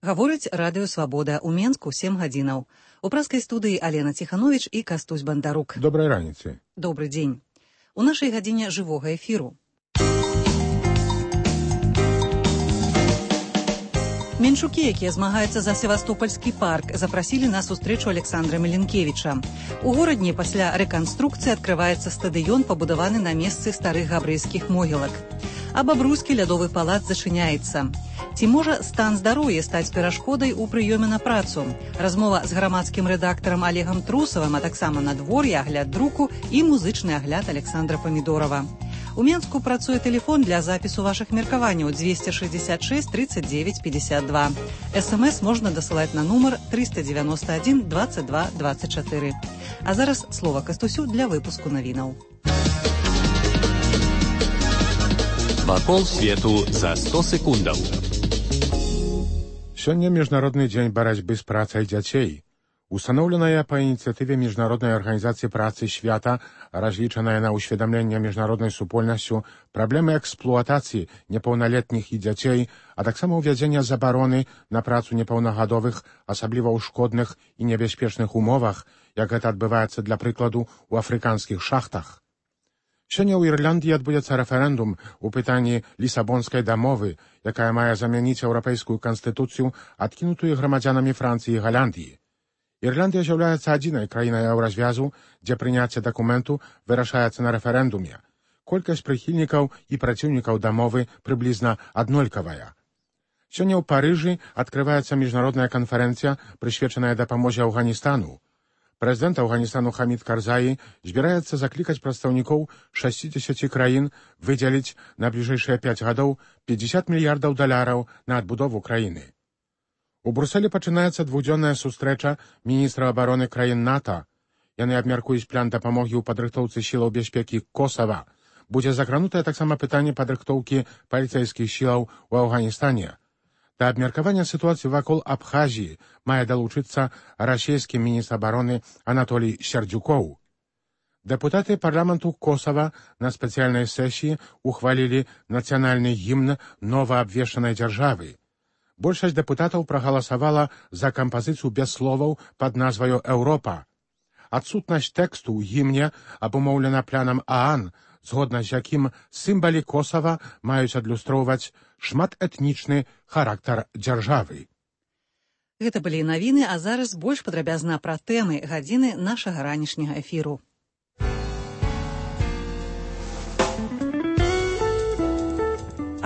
Гаворыць радыё «Свабода» ў Менску 7 гадзінаў. У праскай студыі Алена Ціхановіч і Кастусь Бандарук. Добрай раніцы. Добры дзень. У нашай гадзіне жывога эфіру. Менчукі, якія змагаюцца за Севастопольскі парк, запрасілі на сустрэчу Александра Меленкевіча. У горадні пасля рэканструкцыі адкрываецца стадыён, пабудаваны на месцы старых габрэйскіх могілак. А бабруйскі лядовы палац зачыняецца. Ці можа стан здароўя стаць перашкодай у прыёме на працу? Размова з грамадскім рэдактарам Олегам Трусавым, а таксама надвор'е, агляд друку і музычны агляд Александра Памідорова. У Менску працуе тэлефон для запісу вашых меркаванняў 266 39 52. СМС можна дасылаць на нумар 391 22 24. А зараз слова Кастусю для выпуску навінаў. Вакол свету за 100 секундаў. Сёння Міжнародны дзень барацьбы з працай дзяцей. Устаноўленая па ініцыятыве Міжнароднай арганізацыі працы свята, разлічаная на ўсведамленне міжнароднай супольнасцю праблемы эксплуатацыі непаўналетніх і дзяцей, а таксама ўвядзення забароны на працу непаўнагадовых, асабліва ў шкодных і небяспечных умовах, як гэта адбываецца, для прыкладу, у афрыканскіх шахтах. Сёння ў Ірландыі адбудзецца рэферэндум у пытанні Лісабонскай дамовы, якая мае замяніць еўрапейскую канстытуцыю, адкінутую грамадзянамі Францыі і Галандыі. Ірландыя з'яўляецца адзінай краінай еўразвязу, дзе прыняцце дакументу вырашаецца на рэферэндуме. Колькасць прыхільнікаў і праціўнікаў дамовы прыблізна аднолькавая. Сёння ў Парыжы адкрываецца міжнародная канферэнцыя, прысвечаная дапамозе Афганістану. Прэзідэнт Афганістану Хамід Карзаі збіраецца заклікаць прадстаўнікоў 60 краін выдзеліць на бліжэйшыя 5 гадоў $50 мільярдаў на адбудову краіны. У Брусэлі пачынаецца двухдзённая сустрэча міністраў абароны краін НАТО. Яны абмяркуюць план дапамогі ў падрыхтоўцы сілаў бяспекі Косава. Будзе закранутае таксама пытанне падрыхтоўкі паліцэйскіх сілаў у Афганістане. Да абмеркавання сітуацыі вакол Абхазіі мае далучыцца расійскі міністр абароны Анатолій Сердзюкоў. Дэпутаты парламенту Косава на спецыяльнай сесіі ухвалілі нацыянальны гімн новаабвешчанай дзяржавы. Большасць дэпутатаў прагаласавала за кампазіцыю без словаў пад назваю «Еўропа». Адсутнасць тэксту ў гімне абумоўлена планам ААН, згодна з якім сімвалы Косава маюць адлюстроўваць шматэтнічны характар дзяржавы. Гэта былі навіны, а зараз больш падрабязна пра тэмы гадзіны нашага ранішняга эфіру.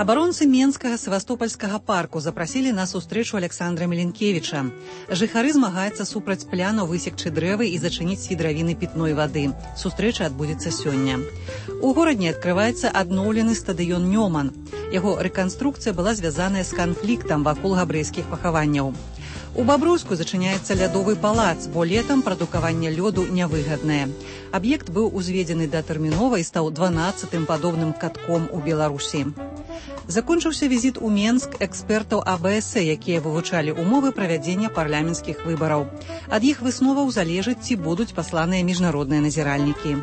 Абаронцы Менскага Севастопольскага парку запрасілі на сустрэчу Александра Меленкевіча. Жыхары змагаюцца супраць пляну высекчы дрэвы і зачыніць свідравіны пітной вады. Сустрэча адбудзецца сёння. У горадні адкрываецца адноўлены стадыён Нёман. Яго рэканструкцыя была звязаная з канфліктам вакол габрэйскіх пахаванняў. У Бабруйску зачыняецца лядовы палац, бо летам прадукаванне лёду нявыгаднае. Аб'ект быў узведзены датэрмінова і стаў 12-тым падобным катком у Беларусі. Закончыўся візіт у Менск экспертаў АБС, якія вывучалі умовы правядзення парламенцкіх выбараў. Ад іх высноваў залежыць, ці будуць пасланыя міжнародныя назіральнікі.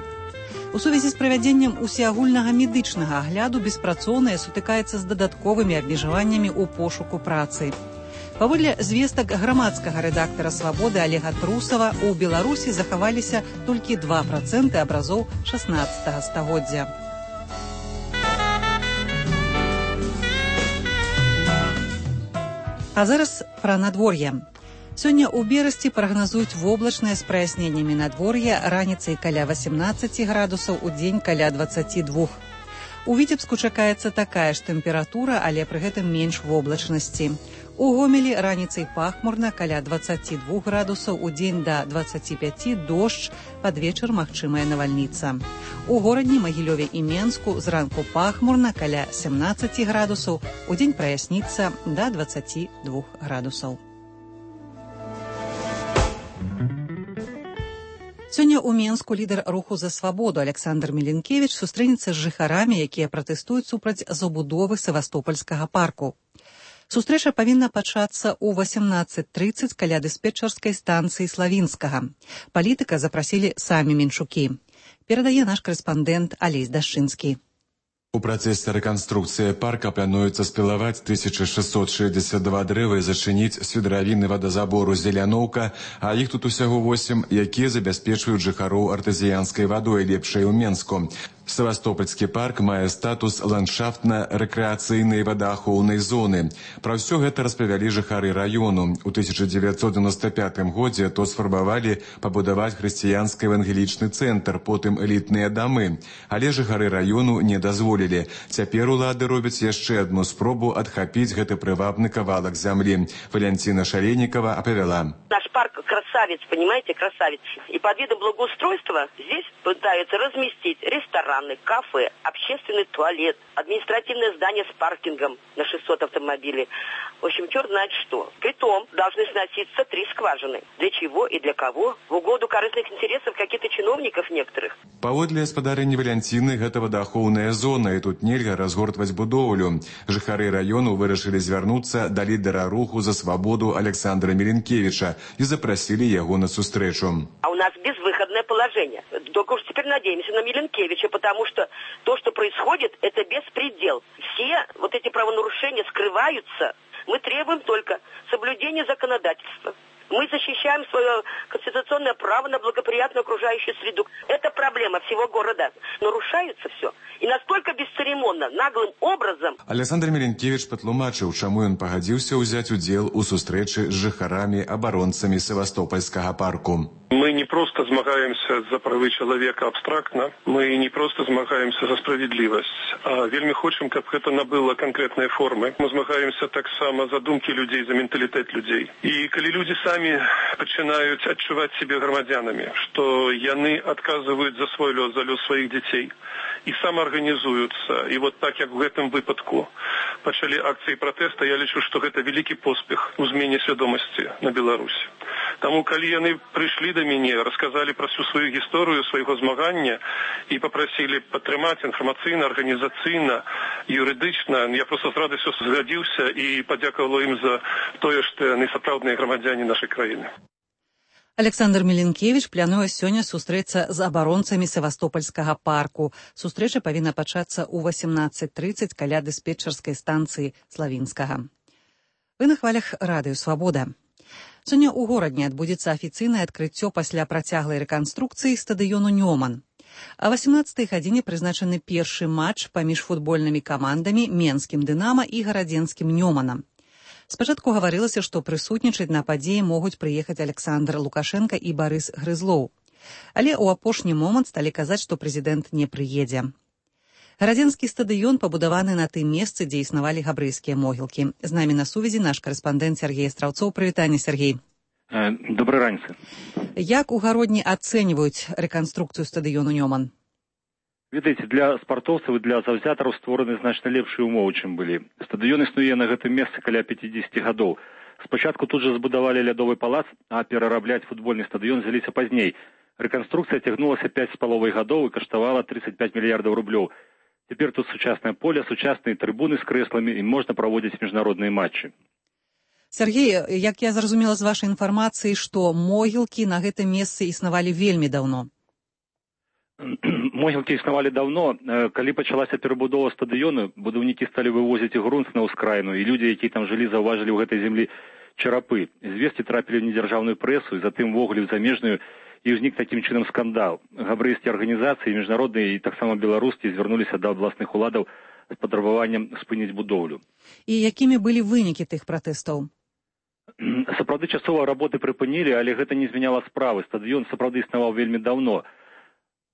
У сувязі з правядзеннем усеагульнага медычнага агляду беспрацоўныя сутыкаецца з дадатковымі абмежаваннямі ў пошуку працы. Паводле звестак грамадскага рэдактара «Свабоды» Олега Трусава, у Беларусі захаваліся толькі 2% абразоў 16 стагоддзя. А зараз пра надвор'е. Сёння ў Берасці прагназуюць воблачнае з праясненнямі надвор'я, раніцай каля 18 градусаў, удзень каля 22. У Віцебску чакаецца такая ж тэмпература, але пры гэтым менш воблачнасці. У Гомелі раніцай пахмурна, каля 22 градусаў, удзень да 25, дождж, пад вечар магчымая навальніца. У горадні Магілёве і Менску зранку пахмурна, каля 17 градусаў, удзень праясніцца да 22 градусаў. Сёння ў Менску лідар руху за свабоду Александр Меленкевіч сустрэнецца з жыхарамі, якія пратэстуюць супраць забудовы Севастопольскага парку. Сустрэча павінна пачацца ў 18:30 каля дыспетчарскай станцыі Славінскага. Палітыка запрасілі самі менчукі. Перадае наш корэспандэнт Алесь Дашчынскі. У працэсе рэканструкцыі парка плануецца спілаваць 1662 дрэвы і зачыніць свідравінны вадазабору «Зеляноўка», а іх тут усяго 8, якія забяспечваюць жыхароў артазіянскай вадой лепшай у Менску. Севастопольскі парк мае статус ландшафтна-рэкрэацыйнай вадаахоўнай зоны. Пра ўсё гэта распавялі жыхары раёну. У 1995 годзе то сфарбавалі пабудаваць хрысціянска-евангелічны цэнтр, потым элітныя дамы. Але жыхары раёну не дазволілі. Цяпер улады робяць яшчэ адну спробу адхапіць гэты прывабны кавалак зямлі. Валянціна Шаленікова апавяла. Наш парк красавец, понимаете, красавец. И под видом благоустройства здесь пытаются разместить рестораны, кафе, общественный туалет, административное здание с паркингом на 600 автомобилей. В общем, черт знает что. Притом должны сноситься 3 скважины. Для чего и для кого? В угоду корыстных интересов каких-то чиновников некоторых. Паводле гаспадарыні Валянціны, гэта вадаахоўная зона, і тут нельга разгортваць будоўлю. Жыхары раёну вырашылі звярнуцца да лідара руху за свабоду Александра Меленкевича и запросили его на сустрэчу. А у нас безвыходное положение. Только уж теперь надеемся на Меленкевича, потому что то, что происходит, это беспредел. Все вот эти правонарушения скрываются. Мы требуем только соблюдения законодательства. Мы защищаем свое конституционное право на благоприятную окружающую среду. Это проблема всего города. Нарушается все. И настолько бесцеремонно, наглым образом. Александр Меленкевич патлумачыў, чаму ён пагадзіўся ўзяць удзел у сустрэчы з жыхарамі-абаронцамі Севастопольскага парку. Мы не просто змагаемся за правы чалавека абстрактна, мы не просто змагаемся за справедливость, а вельмі хочам, каб гэта набыло конкретныя формы. Мы змагаемся таксама за думкі людзей, за менталітэт людзей. І калі людзі самі пачынаюць адчуваць себе грамадзянамі, што яны адказваюць за свой лёс, за лёс сваіх дзяцей, і самаарганізуюцца, і вот так, як у гэтым выпадку пачалі акцыі пратэста, я лічу, што гэта вялікі поспех у змене свядомасці на Беларусі. Таму, калі яны прыйшлі да мяне, расказалі пра всю сваю гісторыю свайго змагання і папрасілі падтрымаць інфармацыйна, арганізацыйна, юрыдычна, я проста з радасцю згадзіўся і падзякавала ім за тое, што яны сапраўдныя грамадзяне нашай краіны. Александр Меленкевич плануе сёння сустрэцца з абаронцамі Севастопольскага парку. Сустрэча павінна пачацца ў 18:30 каля дыспетчарскай станцыі Славінскага. Вы на хвалях радыё «Свабода». Сёння ў горадні адбудзецца афіцыйнае адкрыццё пасля працяглай рэканструкцыі стадыёну «Нёман». А 18-й гадзіне прызначаны першы матч паміж футбольнымі камандамі Менскім «Дынама» і гарадзенскім «Нёманам». Спачатку гаварылася, што прысутнічаць на падзеі могуць прыехаць Александр Лукашенко і Барыс Грызлоў. Але ў апошні момант сталі казаць, што прэзідэнт не прыедзе. Гарадзенскі стадыён пабудаваны на тым месцы, дзе існавалі габрэйскія могілкі. З намі на сувязі наш карэспандэнт Сергей Страўцоў. Прывітанне, Сергей. Добрай раніцы. Як у гародні ацэньваюць рэканструкцыю стадыёну «Нёман»? Ведаеце, для спартоўцаў і для заўзятараў створаны значна лепшыя ўмовы, чым былі. Стадыён існуе на гэтым месцы каля 50 гадоў. Спачатку тут жа збудавалі лядовы палац, а перарабляць футбольны стадыён взяліся пазней. Рэканструкцыя цягнулася 5,5 гадоў і каштавала 35 мільярдаў рублёў. Цяпер тут сучаснае поле, сучасныя трыбуны з крэсламі і можна праводзіць міжнародныя матчы. Сергей, як я зразумела з вашай інфармацыі, што могілкі на гэтым месцы існавалі вельмі даўно. Могілкі існавалі даўно. Калі пачалася перабудова стадыёну, будаўнікі сталі вывозіць грунт на ўскраіну, і людзі, якія там жылі, заўважылі ў гэтай землі чарапы. Звесткі трапілі ў недзяржаўную прэсу і затым ввогуле ў замежную, і ўзнік такім чынам скандал. Габрэйскія арганізацыі, міжнародныя і таксама беларускія звярнуліся да абласных уладаў з патрабаваннем спыніць будоўлю. І якімі былі вынікі тых пратэстаў? Сапраўды часова работы прыпынілі, але гэта не змяняла справы. Стадыён сапраўды існаваў вельмі даўно.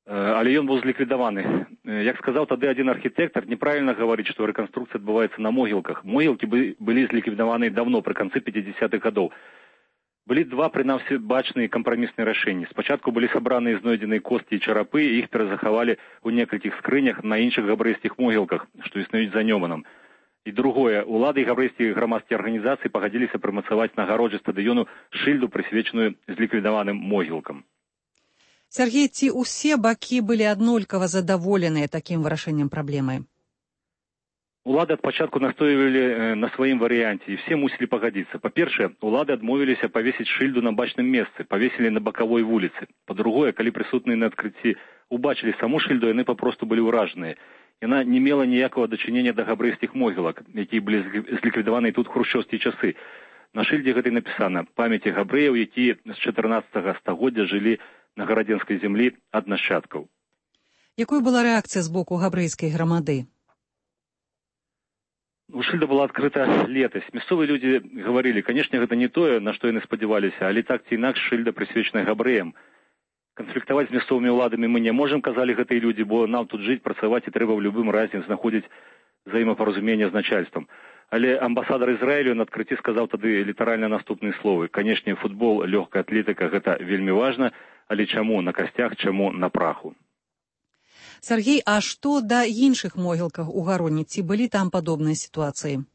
Але ён быў зліквідаваны. Як сказаў тады адзін архітэктар, неправільна гаварыць, што рэканструкцыя адбываецца на могілках. Могілкі былі зліквідаваны даўно, пры канцы 50-х гадоў. Былі два, прынамсі, бачныя кампрамісныя рашэнні. Спачатку былі сабраныя знойдзеныя косткі і чарапы, і іх перазахавалі ў некалькіх скрынях на іншых габрэйскіх могілках, што існуюць за Нёманам. І другое, улады і габрэйскія грамадскія арганізацыі пагадзіліся прымацаваць на агароджы стадыёну шыльду, прысвечаную зліквідаваным могілкам. Сергей, ці ўсе бакі былі аднолькава задаволеныя такім вырашэннем праблемы? Улады ад пачатку настойвалі на сваім варыянце, і все мусілі пагадзіцца. Па-першае, улады адмовіліся павесіць шыльду на бачным месцы, павесілі на бакавой вуліцы. Па-другое, калі прысутныя на адкрыцці убачылі саму шыльду, яны папросту былі ўражаныя. яна не мела ніякага дачынення да габрэйскіх могілак, якія былі зліквідаваны тут хрушчоўскія часы. На шыльдзе гэтай напісана памяці габрэяў, якія з 14 стагоддзя жылі на гарадзенскай зямлі ад нашчадкаў. Якой была рэакцыя з боку габрэйскай грамады? Шыльда была адкрыта летась. Мясцовыя людзі гаварылі, канешне, гэта не тое, на што яны спадзяваліся, але так ці інакш шыльда прысвечаная габрэям. Канфліктаваць з мясцовымі ўладамі мы не можам, казалі гэтыя людзі, бо нам тут жыць, працаваць і трэба ў любым разе знаходзіць взаемапаразуменне з начальствам. Але амбасадар Ізраілю на адкрыцці сказаў тады літаральна наступныя словы. Канешне, футбол, лёгкая атлетыка – гэта вельмі важна, але чаму на касцях, чаму на праху? Сергей, а што да іншых могілках у Гароні? Ці былі там падобныя сітуацыі?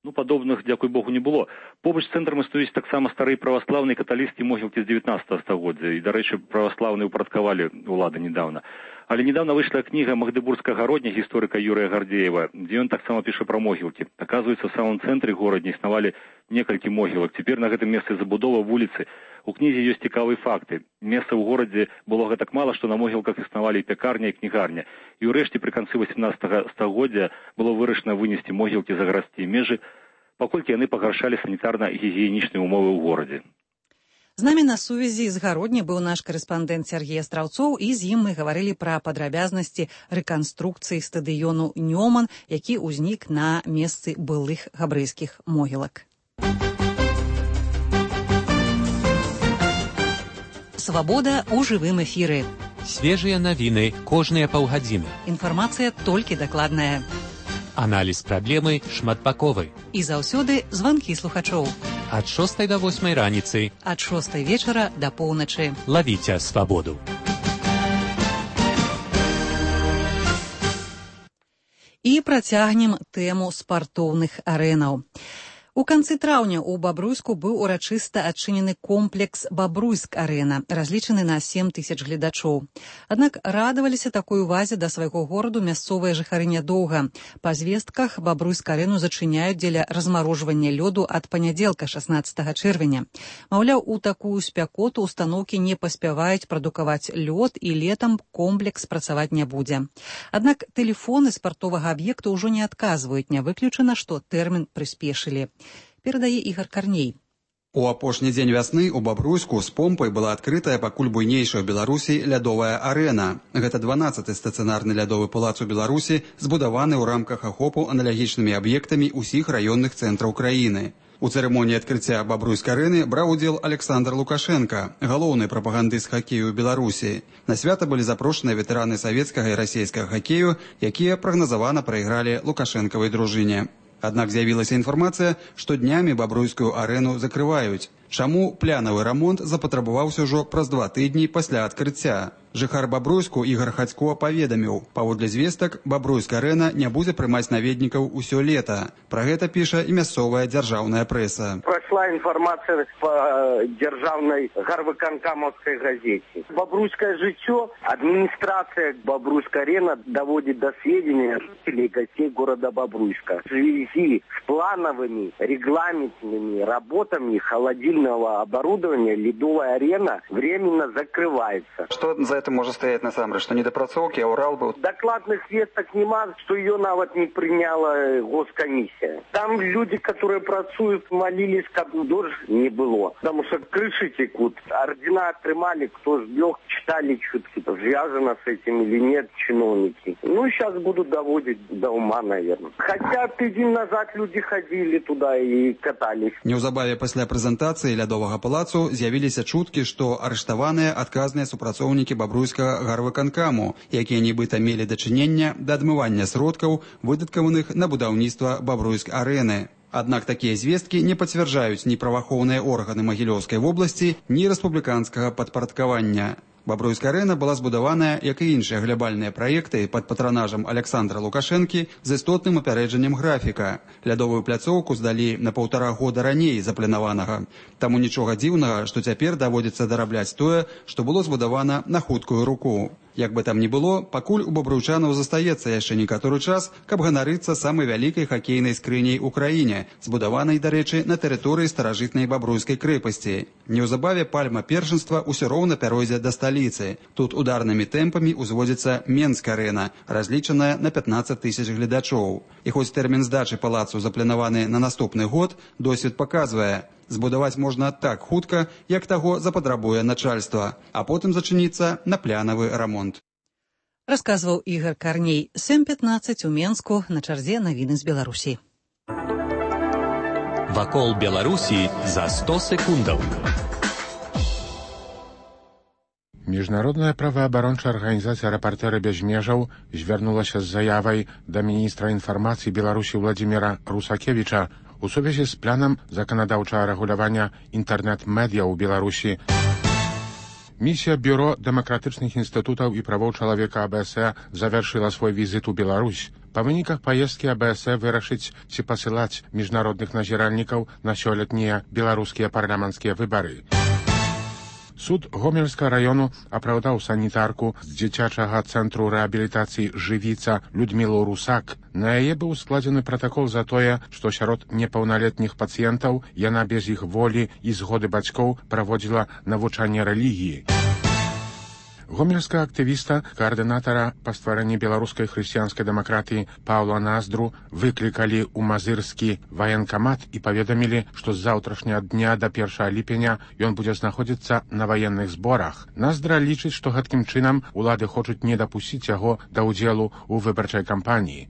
Падобных, дзякуй Богу, не было. Побач з цэнтрам стаіць таксама старыя праваслаўныя каталіцкія могілкі з 19 стагоддзя. І, дарэчы, праваслаўныя ўпарадкавалі ўлады недавно. Але недавно выйшла кніга Магдыбургскага гародня гісторыка Юрыя Гардзеева, дзе ён таксама піша пра могілкі. Аказваецца, в самом цэнтры горадня існавалі некалькі могілак. Цяпер на гэтым месцы забудова вуліцы. У кнізе ёсць цікавыя факты. Месца ў горадзе было гэтак мала, што на могілках існавалі і пякарня, і кнігарня. І ўрэшце пры канцы 18 стагоддзя было вырашана вынесці могілкі за гарадскія межы, паколькі яны пагаршалі санітарна-гігіенічныя умовы ў горадзе. З намі на сувязі з Гародні быў наш карэспандэнт Сергей Астраўцоў, і з ім мы гаварылі пра падрабязнасці рэканструкцыі стадыёну Нёман, які ўзнік на месцы былых габрэйскіх могілак. Свабода ў жывым эфіры. Свежыя навіны кожныя паўгадзіны. Інфармацыя толькі дакладная. Аналіз праблемы шматбаковы. І заўсёды званкі слухачоў. Ад 6 до 8 раніцы. Ад 6 вечара да поўначы. Лавіце свабоду. І працягнем тэму спартоўных арэнаў. У канцы траўня ў Бабруйску быў урачыста адчынены комплекс «Бабруйск-арэна», разлічаны на 7 000 гледачоў. Аднак радаваліся такой увазе да свайго гораду мясцовыя жыхары нядоўга. Па звестках Бабруйск-арэну зачыняюць дзеля размарожвання лёду ад панядзелка 16 чэрвеня. Маўляў, у такую спякоту устаноўкі не паспяваюць прадукаваць лёд, і летам комплекс працаваць не будзе. Аднак тэлефоны спартовага аб'екта ўжо не адказваюць, не выключана, што тэрмін прыспешылі. Перадае Ігор Карней. У апошні дзень вясны ў Бабруйску з помпай была адкрытая пакуль буйнейшая ў Беларусі лядовая арэна. Гэта 12-ы стацыянарны лядовы палац у Беларусі, збудаваны ў рамках ахопу аналагічнымі аб'ектамі ўсіх раённых цэнтраў краіны. У цырымоніі адкрыцця Бабруйск-арэны браў удзел Александр Лукашенко, галоўны прапагандыст хакею ў Беларусі. На свята былі запрошаныя ветэраны савецкага і расійскага хакею, якія прагназавана прайгралі лукашэнкавай дружыне. Аднак з'явілася інфармацыя, што днямі Бабруйскую арэну закрываюць. Чаму плянавы рамонт запатрабаваўся ўжо праз 2 тыдні пасля адкрыцця? Жыхар Бабруйску Ігор Хацько паведаміў, паводле звестак, Бабруйск-арэна не будзе прымаць наведнікаў усё лета. Пра гэта піша і мясцовая дзяржаўная прэса. Прошла информация по державной Гарвыканкамовской газете. Бобруйское житё, администрация Бобруйска-арена доводит до сведения жителей и гостей города Бобруйска. В связи с плановыми регламентными работами холодильного оборудования ледовая арена временно закрывается. Что за этим может стоять на самом деле? Что недопрацоўки, а Урал был? Докладных весток нема, что ее навод не приняла госкомиссия. Там люди, которые працуют, молились, как дождь не было. Потому что крыши текут. Ордена отрымали, кто сбег, читали чутки, связано с этим или нет чиновники. Ну, сейчас будут доводить до ума, наверное. Хотя тыдзень назад люди ходили туда и катались. Неўзабаве пасля прэзентацыі лядовага палацу з'явіліся чуткі, што арыштаваныя адказныя супрацоўнікі Бабруйскага гарвыканкаму, якія нібыта мелі дачынення да адмывання сродкаў, выдаткаваных на будаўніцтва Бабруйск-арэны. Аднак такія звесткі не пацвярджаюць ні праваахоўныя органы Магілёўскай вобласці, ні рэспубліканскага падпарадкавання. Бабруйска-арэна была збудаваная, як і іншыя глябальныя праекты пад патранажам Александра Лукашэнкі з істотным апярэджаннем графіка. Лядовую пляцоўку здалі на 1,5 года раней запланаванага. Таму нічога дзіўнага, што цяпер даводзіцца дарабляць тое, што было збудавана на хуткую руку. Як бы там ні было, пакуль у бабруйчанаў застаецца яшчэ некаторы час, каб ганарыцца самай вялікай хакейнай скрыняй у краіне, збудаванай, дарэчы, на тэрыторыі старажытнай бабруйскай крэпасці. Неўзабаве пальма першынства ўсё роўна пяройдзе да сталіцы. Тут ударнымі тэмпамі узводзіцца Менск-арэна, разлічаная на 15 тысяч гледачоў. І хоць тэрмін здачы палацу запланаваны на наступны год, досвед паказвае, збудаваць можна так хутка, як таго запатрабуе начальства, а потым зачыніцца на плянавы рамонт. Расказваў Ігор Карней. 7:15 у Менску, на чарзе навіны з Беларусі. Вакол Беларусі за 100 секундаў. Міжнародная праваабарончая арганізацыя «Рэпартэры без межаў» звярнулася з заявай да міністра інфармацыі Беларусі Владзіміра Русакевіча у сувязі з планам заканадаўчага рэгулявання інтэрнэт-медыя ў Беларусі. Місія Бюро дэмакратычных інстытутаў і правоў чалавека АБС завяршыла свой візіт у Беларусь. Па выніках паездкі АБС вырашыць, ці пасылаць міжнародных назіральнікаў на сёлетнія беларускія парламенцкія выбары. Суд Гомельскага району апраўдаў санітарку з дзіцячага цэнтру рэабілітацыі «Жывіца» Людмілу Русак. На яе быў складзены пратакол за тое, што сярод непаўналетніх пацыентаў яна без іх волі і згоды бацькоў праводзіла навучанне рэлігіі. Гомельскага актывіста, каардынатара па стварэнні беларускай хрысціянскай дэмакратыі Паўла Наздру выклікалі ў мазырскі ваенкамат і паведамілі, што з заўтрашняга дня да 1 ліпеня ён будзе знаходзіцца на ваенных зборах. Наздра лічыць, што гэткім чынам улады хочуць не дапусціць яго да ўдзелу ў выбарчай кампаніі.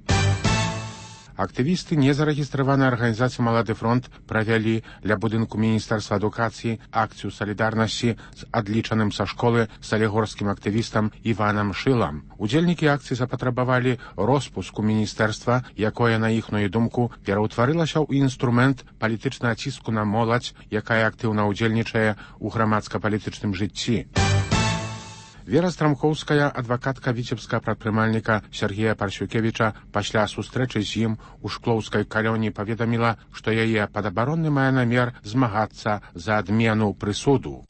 Актывісты незарэгістраванай арганізацыі «Малады фронт» правялі ля будынку Міністэрства адукацыі акцыю салідарнасці з адлічаным са школы салігорскім актывістам Іванам Шылам. Удзельнікі акцыі запатрабавалі роспуску міністэрства, якое, на іхную думку, пераўтварылася ў інструмент палітычнага ціску на моладзь, якая актыўна ўдзельнічае ў грамадска-палітычным жыцці. Вера Страмхоўская, адвакатка віцебскага прадпрымальніка Сергея Парсюкевіча, пасля сустрэчы з ім у шклоўскай калоніі паведаміла, што яе падабаронны мае намер змагацца за адмену прысуду.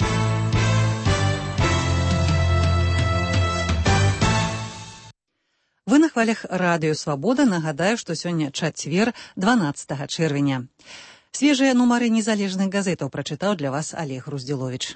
Вы на хвалях радыё «Свабода». Нагадаю, што сёння чацвер, 12 чэрвеня. Свежыя нумары незалежных газетаў прачытаў для вас Олег Руздзіловіч.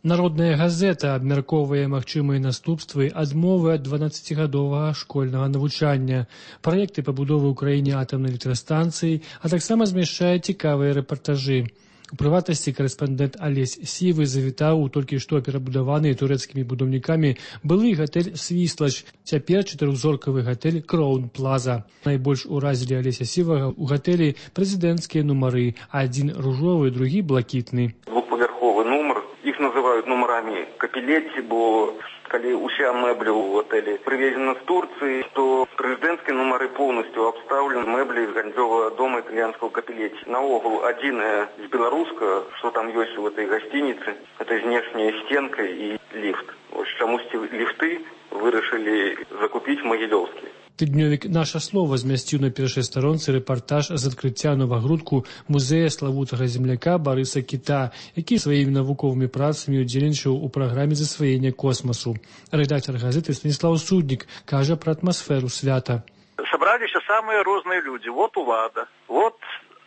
Народная газета абмяркоўвае магчымыя наступствы адмовы ад 12гадовага школьнага навучання, праекты пабудовы ў краіне атамнай электрастанцыі, а таксама змяшчае цікавыя рэпартажы. У прыватнасці карэспандэнт Алесь Сівы завітаў у толькі што перабудаваны турэцкімі будаўнікамі былы гатэль «Свіслач», цяпер 4-зоркавы гатэль «Кроун Плаза». Найбольш уразілі Алеся Сівага ў гатэлі прэзідэнцкія нумары, адзін ружовы, другі блакітны. Двухпавярховы нумар. Их называют номерами Капелетти, бо коли уся мебля у отеле привезена с Турции, то президентские номеры полностью обставлены меблей из Ганзёвого дома итальянского Капелетти. На угол один из белорусского, что там есть в этой гостинице, это внешняя стенка и лифт. Вот чему лифты вы решили закупить в Могилевске. Тыднёвік «Наша слова» змясціў на першай старонцы рэпартаж з адкрыцця новагрудку музея славутага земляка Барыса Кіта, які сваімі навуковымі працамі удзельнічаў у праграме засваення космасу. Рэдактор газеты Станіслав Суднік кажа пра атмасферу свята. Собраліся самыя розныя людзі. Вот улада, вот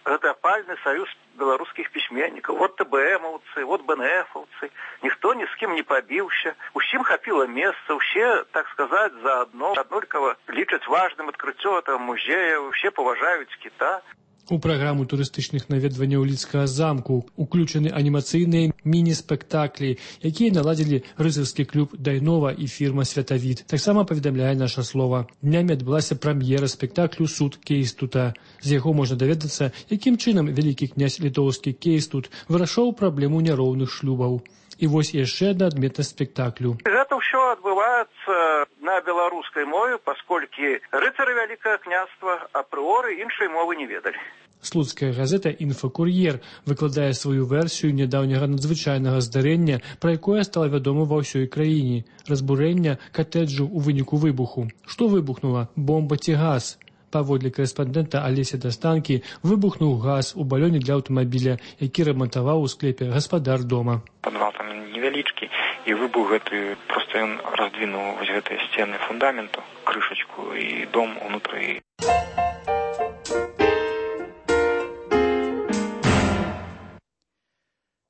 гэта апальны саюз беларускіх пісьменнікаў, вот ТБМаўцы, вот БНФаўцы. Ніхто ні з кім не пабіўся. Усім хапіла месца, усе, так сказаць, заадно. Аднолькава лічаць важным адкрыццё этого музея, усе паважаюць Кіта. У праграму турыстычных наведванняў Лідскага замку уключаны анімацыйныя міні-спектаклі, якія наладзілі рыцарскі клуб «Дайнова» і фірма «Святавід». Таксама паведамляе «Наша слова». Днямі адбылася прэм'ера спектаклю «Суд Кейстута». З яго можна даведацца, якім чынам вялікі князь літоўскі Кейстут вырашаў праблему няроўных шлюбаў. І вось яшчэ адна адметнасць спектаклю. Гэта ўсё адбываецца на беларускай мове, пасколькі рыцары вялікага княства апрыоры іншай мовы не ведалі. Слуцкая газета «Інфакур'ер» выкладае сваю версію нядаўняга надзвычайнага здарэння, пра якое стала вядома ва ўсёй краіне – разбурэння катэджу ў выніку выбуху. Што выбухнула? Бомба ці газ? Паводле корэспандэнта Алеся Дастанкі, выбухнуў газ у балёне для аўтамабіля, які рамантаваў у склепе гаспадар дома. Падвал там невялічкі, і выбух гэты, проста ён раздвінуў вось гэтыя сцены фундаменту, крышачку і дом унутры.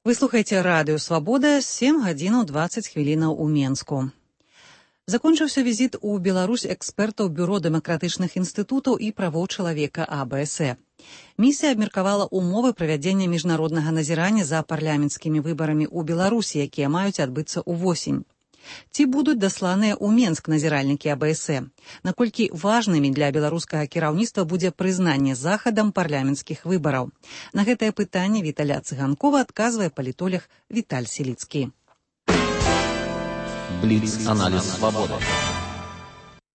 Вы слухаеце радыё «Свабода», 7 гадзінаў 20 хвілінаў у Менску. Закончыўся візіт у Беларусь экспертаў Бюро дэмакратычных інстытутаў і правоў чалавека АБСЭ. Місія абмеркавала ўмовы правядзення міжнароднага назірання за парламенцкімі выбарамі ў Беларусі, якія маюць адбыцца ўвосень. Ці будуць дасланыя ў Менск назіральнікі АБСЭ? Наколькі важнымі для беларускага кіраўніцтва будзе прызнанне захадам парламенцкіх выбараў? На гэтае пытанне Віталя Цыганкова адказвае палітолог Віталь Селіцкі. Бліц-аналіз «Свабода».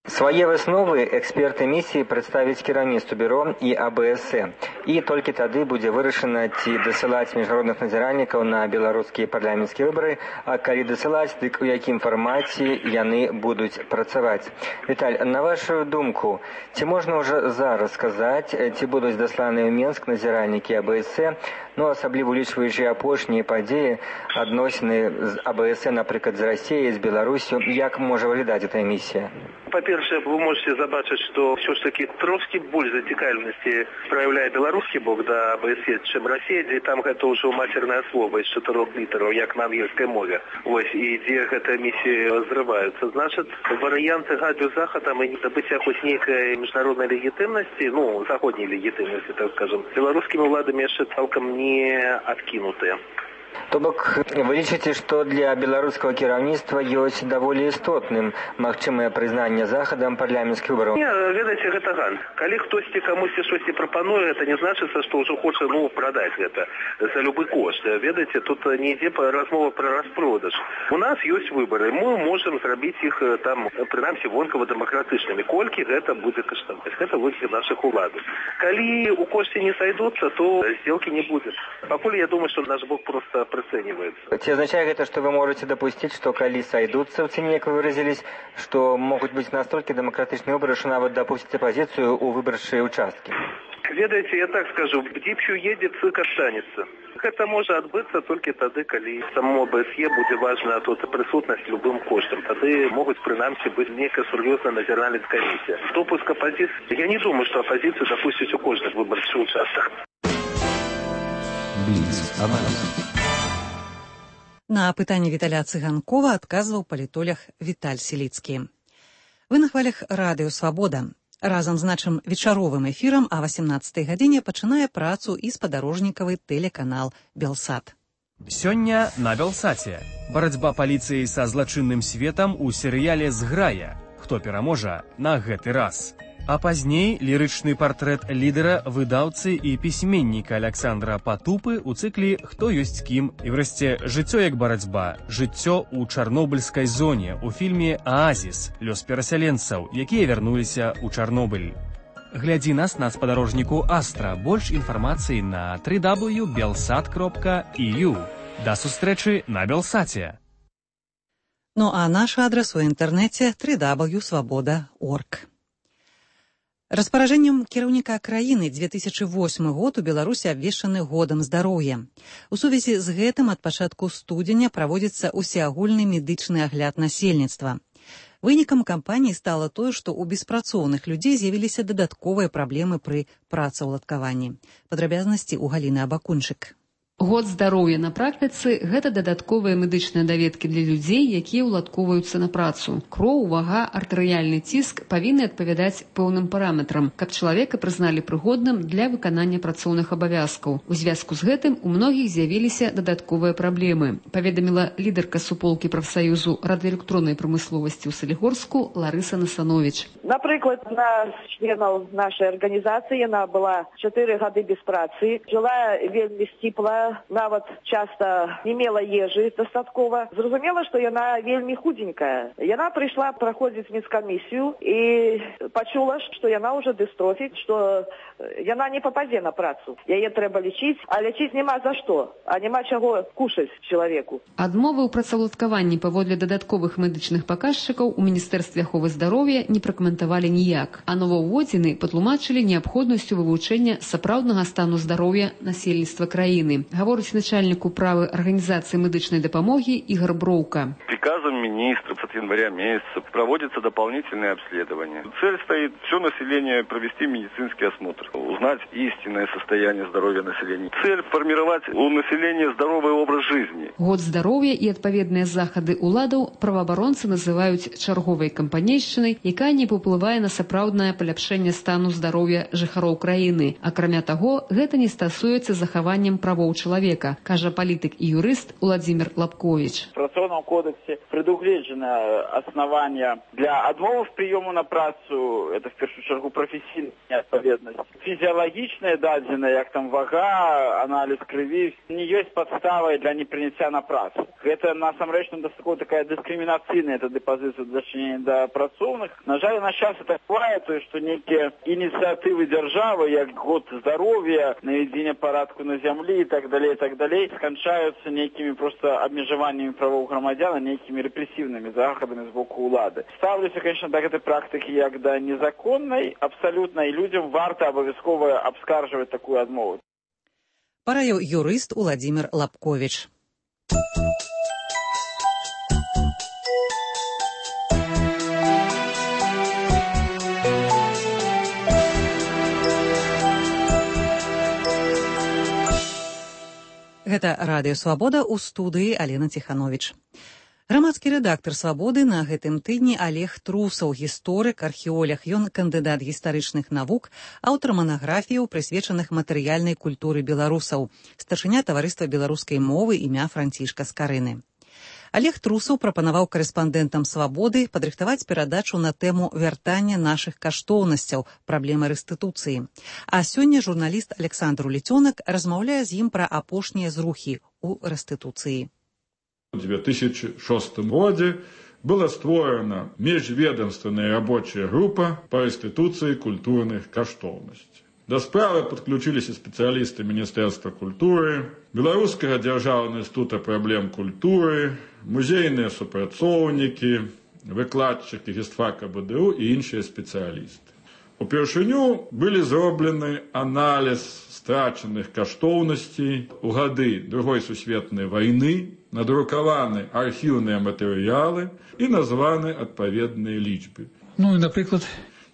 Свае высновы эксперты місіі прадставяць кіраўніцтву бюро і АБСЭ. І толькі тады будзе вырашана, ці дасылаць міжнародных назіральнікаў на беларускія парламенцкія выбары, а калі дасылаць, дык у якім фармаце яны будуць працаваць. Віталь, на вашу думку, ці можна ўжо зараз сказаць, ці будуць дасланыя ў Менск назіральнікі АБСЭ, асабліва улічваючы апошнія падзеі, адносіны з АБСЭ, напрыклад, з Расіяй, з Беларусю, як можа выглядаць эта місія? По-перше, вы можете забачыць, што все ж таки трошки больш зацікаўленасці праяўляе беларускі бок да АБСЕ, чым Расія, дзе там гэта ўжо мацернае слова з 4 літараў, як на ангельскай мове. Вось, і дзе гэтая місія зрываюцца. Значыць, варыянты гадзю захадам і недабыцця хоць нейкай міжнароднай легітымнасці, заходняй легітымнасці, так скажем, беларускімі ўладамі яшчэ цалкам не адкінутыя. То бок, вы лічыце, што для беларускага кіраўніцтва ёсць даволі істотным магчымае прызнанне захадам парламенцкіх выбараў? Не, ведаеце, гэта ган. Калі хтосьці камусьці штосьці прапануе, гэта не значыцца, што ўжо хоча, прадаць гэта за любы кошт. Ведаеце, тут не ідзе размова пра распродаж. У нас ёсць выбары, мы можам зрабіць іх там, прынамсі, вонкава дэмакратычнымі. Колькі гэта будзе каштаваць? Гэта вынескі нашых уладаў. Калі у кошце не сойдуцца, то сделки не будзе. Пакуль я думаю, што наш бок проста прыцэньваецца. Ці азначае гэта, што вы можаце дапусціць, што калі сойдуцца ў цэне, як вы выразілись, што могуць быць настолькі дэмакратычныя выбары, што нават дапусціць апазіцыю ў выбарчыя ўчасткі? Ведаеце, я так скажу, дзіпчу едзе, цык астанецца. Гэта можа адбыцца толькі тады, калі самому АБСЕ будзе важна тут прысутнасць любым коштам. Тады могуць прынамсі быць нейкая сур'ёзная назіральная камісія. Допуск апозіцыі, я не думаю, што апозіцыю дапусціць у кожных выбарчых участках. На пытанне Віталя Цыганкова адказваў палітолог Віталь Селіцкі. Вы на хвалях радыё «Свабода». Разам з нашым вечаровым эфірам а 18 гадзіне пачынае працу і спадарожнікавы тэлеканал «Белсат». Сёння на «Белсаце». Барацьба паліцыі са злачынным светам у серыяле «Зграя». Хто пераможа на гэты раз? А пазней лірычны партрэт лідара, выдаўцы і пісьменніка Аляксандра Патупы ў цыклі «Хто ёсць кім» і врэшце «Жыццё як барацьба. Жыццё ў чарнобыльскай зоне» у фільме «Аазіс. Лёс перасяленцаў, якія вярнуліся ў Чарнобыль». Глядзі нас на спадарожніку Астра. Больш інфармацыі на www.belsat.eu. Да сустрэчы на Белсаце. А наш адрас у інтэрнэце www.swaboda.org. Распаражэннем кіраўніка краіны 2008 год у Беларусі абвешчаны годам здароўя. У сувязі з гэтым ад пачатку студзеня праводзіцца усеагульны медычны агляд насельніцтва. Вынікам кампаніі стала тое, што ў беспрацоўных людзей з'явіліся дадатковыя праблемы пры працаўладкаванні. Падрабязнасці ў Галіны Абакунчык. Год здароўя на практыцы – гэта дадатковыя медычныя даведкі для людзей, якія ўладкоўваюцца на працу. Кроў, вага, артэрыяльны ціск павінны адпавядаць пэўным параметрам, каб чалавека прызналі прыгодным для выканання працоўных абавязкаў. У звязку з гэтым у многіх з'явіліся дадатковыя праблемы, паведаміла лідарка суполкі прафсаюзу радыёэлектроннай прамысловасці ў Салігорску Ларыса Насановіч. Напрыклад, на членаў нашай арганізацыі яна была 4 гады без працы, жыла вельмі сціпла, яна нават часта не мела ежы дастаткова. Зразумела, што яна вельмі худенькая. Яна прыйшла праходзіць медкамісію і пачула, што яна ўжо дыстрофіць, што яна не пападзе на працу. Яе трэба лечыць, а лечыць няма за што, а няма чаго кушаць чалавеку. Адмовы ў працаўладкаванні паводле дадатковых медычных паказчыкаў у Міністэрстве аховы здароўя не пракаментавалі ніяк, а новаўводзіны патлумачылі неабходнасцю вывучэння сапраўднага стану здароўя насельніцтва краіны. Гаворыць начальник управы Организации медичной допомоги Игорь Броука. Приказом министра с января месяца проводятся дополнительные обследования. Цель стоит все население провести медицинский осмотр, узнать истинное состояние здоровья населения. Цель формировать у населения здоровый образ жизни. Год здароўя і адпаведныя захады уладаў праваабаронцы называюць чарговай кампанейшчынай, якая не паўплывае на сапраўднае паляпшэнне стану здароўя жыхароў краіны. Акрамя таго, гэта не стасуецца захаваннем правоў чалавека, кажа палітык і юрыст Владимир Лапкович. В Трудовом кодексе предугледжено основание для отмовы в приему на працу, это в первую чергу профессийная неотповедность. Физиологичная дадзена, як там вага, анализ крови, не есть подставой для непринятия на працу. Это насамрэч такая дискриминацийная позиция дачынення до працоўных. На жаль, на час это бывает, что некие инициативы державы, як год здоровья, наведение порядку на земле и так далее, скончаются некими просто обмежеваниями правов громадян, некими репрессивными заходами с боку улады. Ставлюся, конечно, до этой практики як до незаконной абсолютно, и людям варто обовязково обскарживать такую отмову. Параіў юрыст Владимир Лапкович. Гэта радыё «Свабода», у студыі Алена Ціхановіч. Грамадскі рэдактар «Свабоды» на гэтым тыдні Олег Трусаў, гісторык, археолог. Ён кандыдат гістарычных навук, аўтар манаграфіяў, прысвечаных матэрыяльнай культуры беларусаў, старшыня таварыства беларускай мовы імя Францішка Скарыны. Олег Трусаў прапанаваў карэспандэнтам «Свабоды» падрыхтаваць перадачу на тэму вяртання нашых каштоўнасцяў, праблемы рэстытуцыі. А сёння журналіст Александр Улецёнак размаўляе з ім пра апошнія зрухі ў рэстытуцыі. В 2006 году была створена межведомственная рабочая группа по реституции культурных каштоўнасцей. До справы подключились специалисты Министерства культуры, Белорусского державного института проблем культуры, музейные супрацоўнікі, выкладчики гістфака БДУ и іншыя специалисты. Упершыню были зроблены анализ страченных каштоўнасцей у гады Другой сусветнай войны, надрукаваны архіўныя матэрыялы і названы адпаведныя лічбы. Ну і, напрыклад,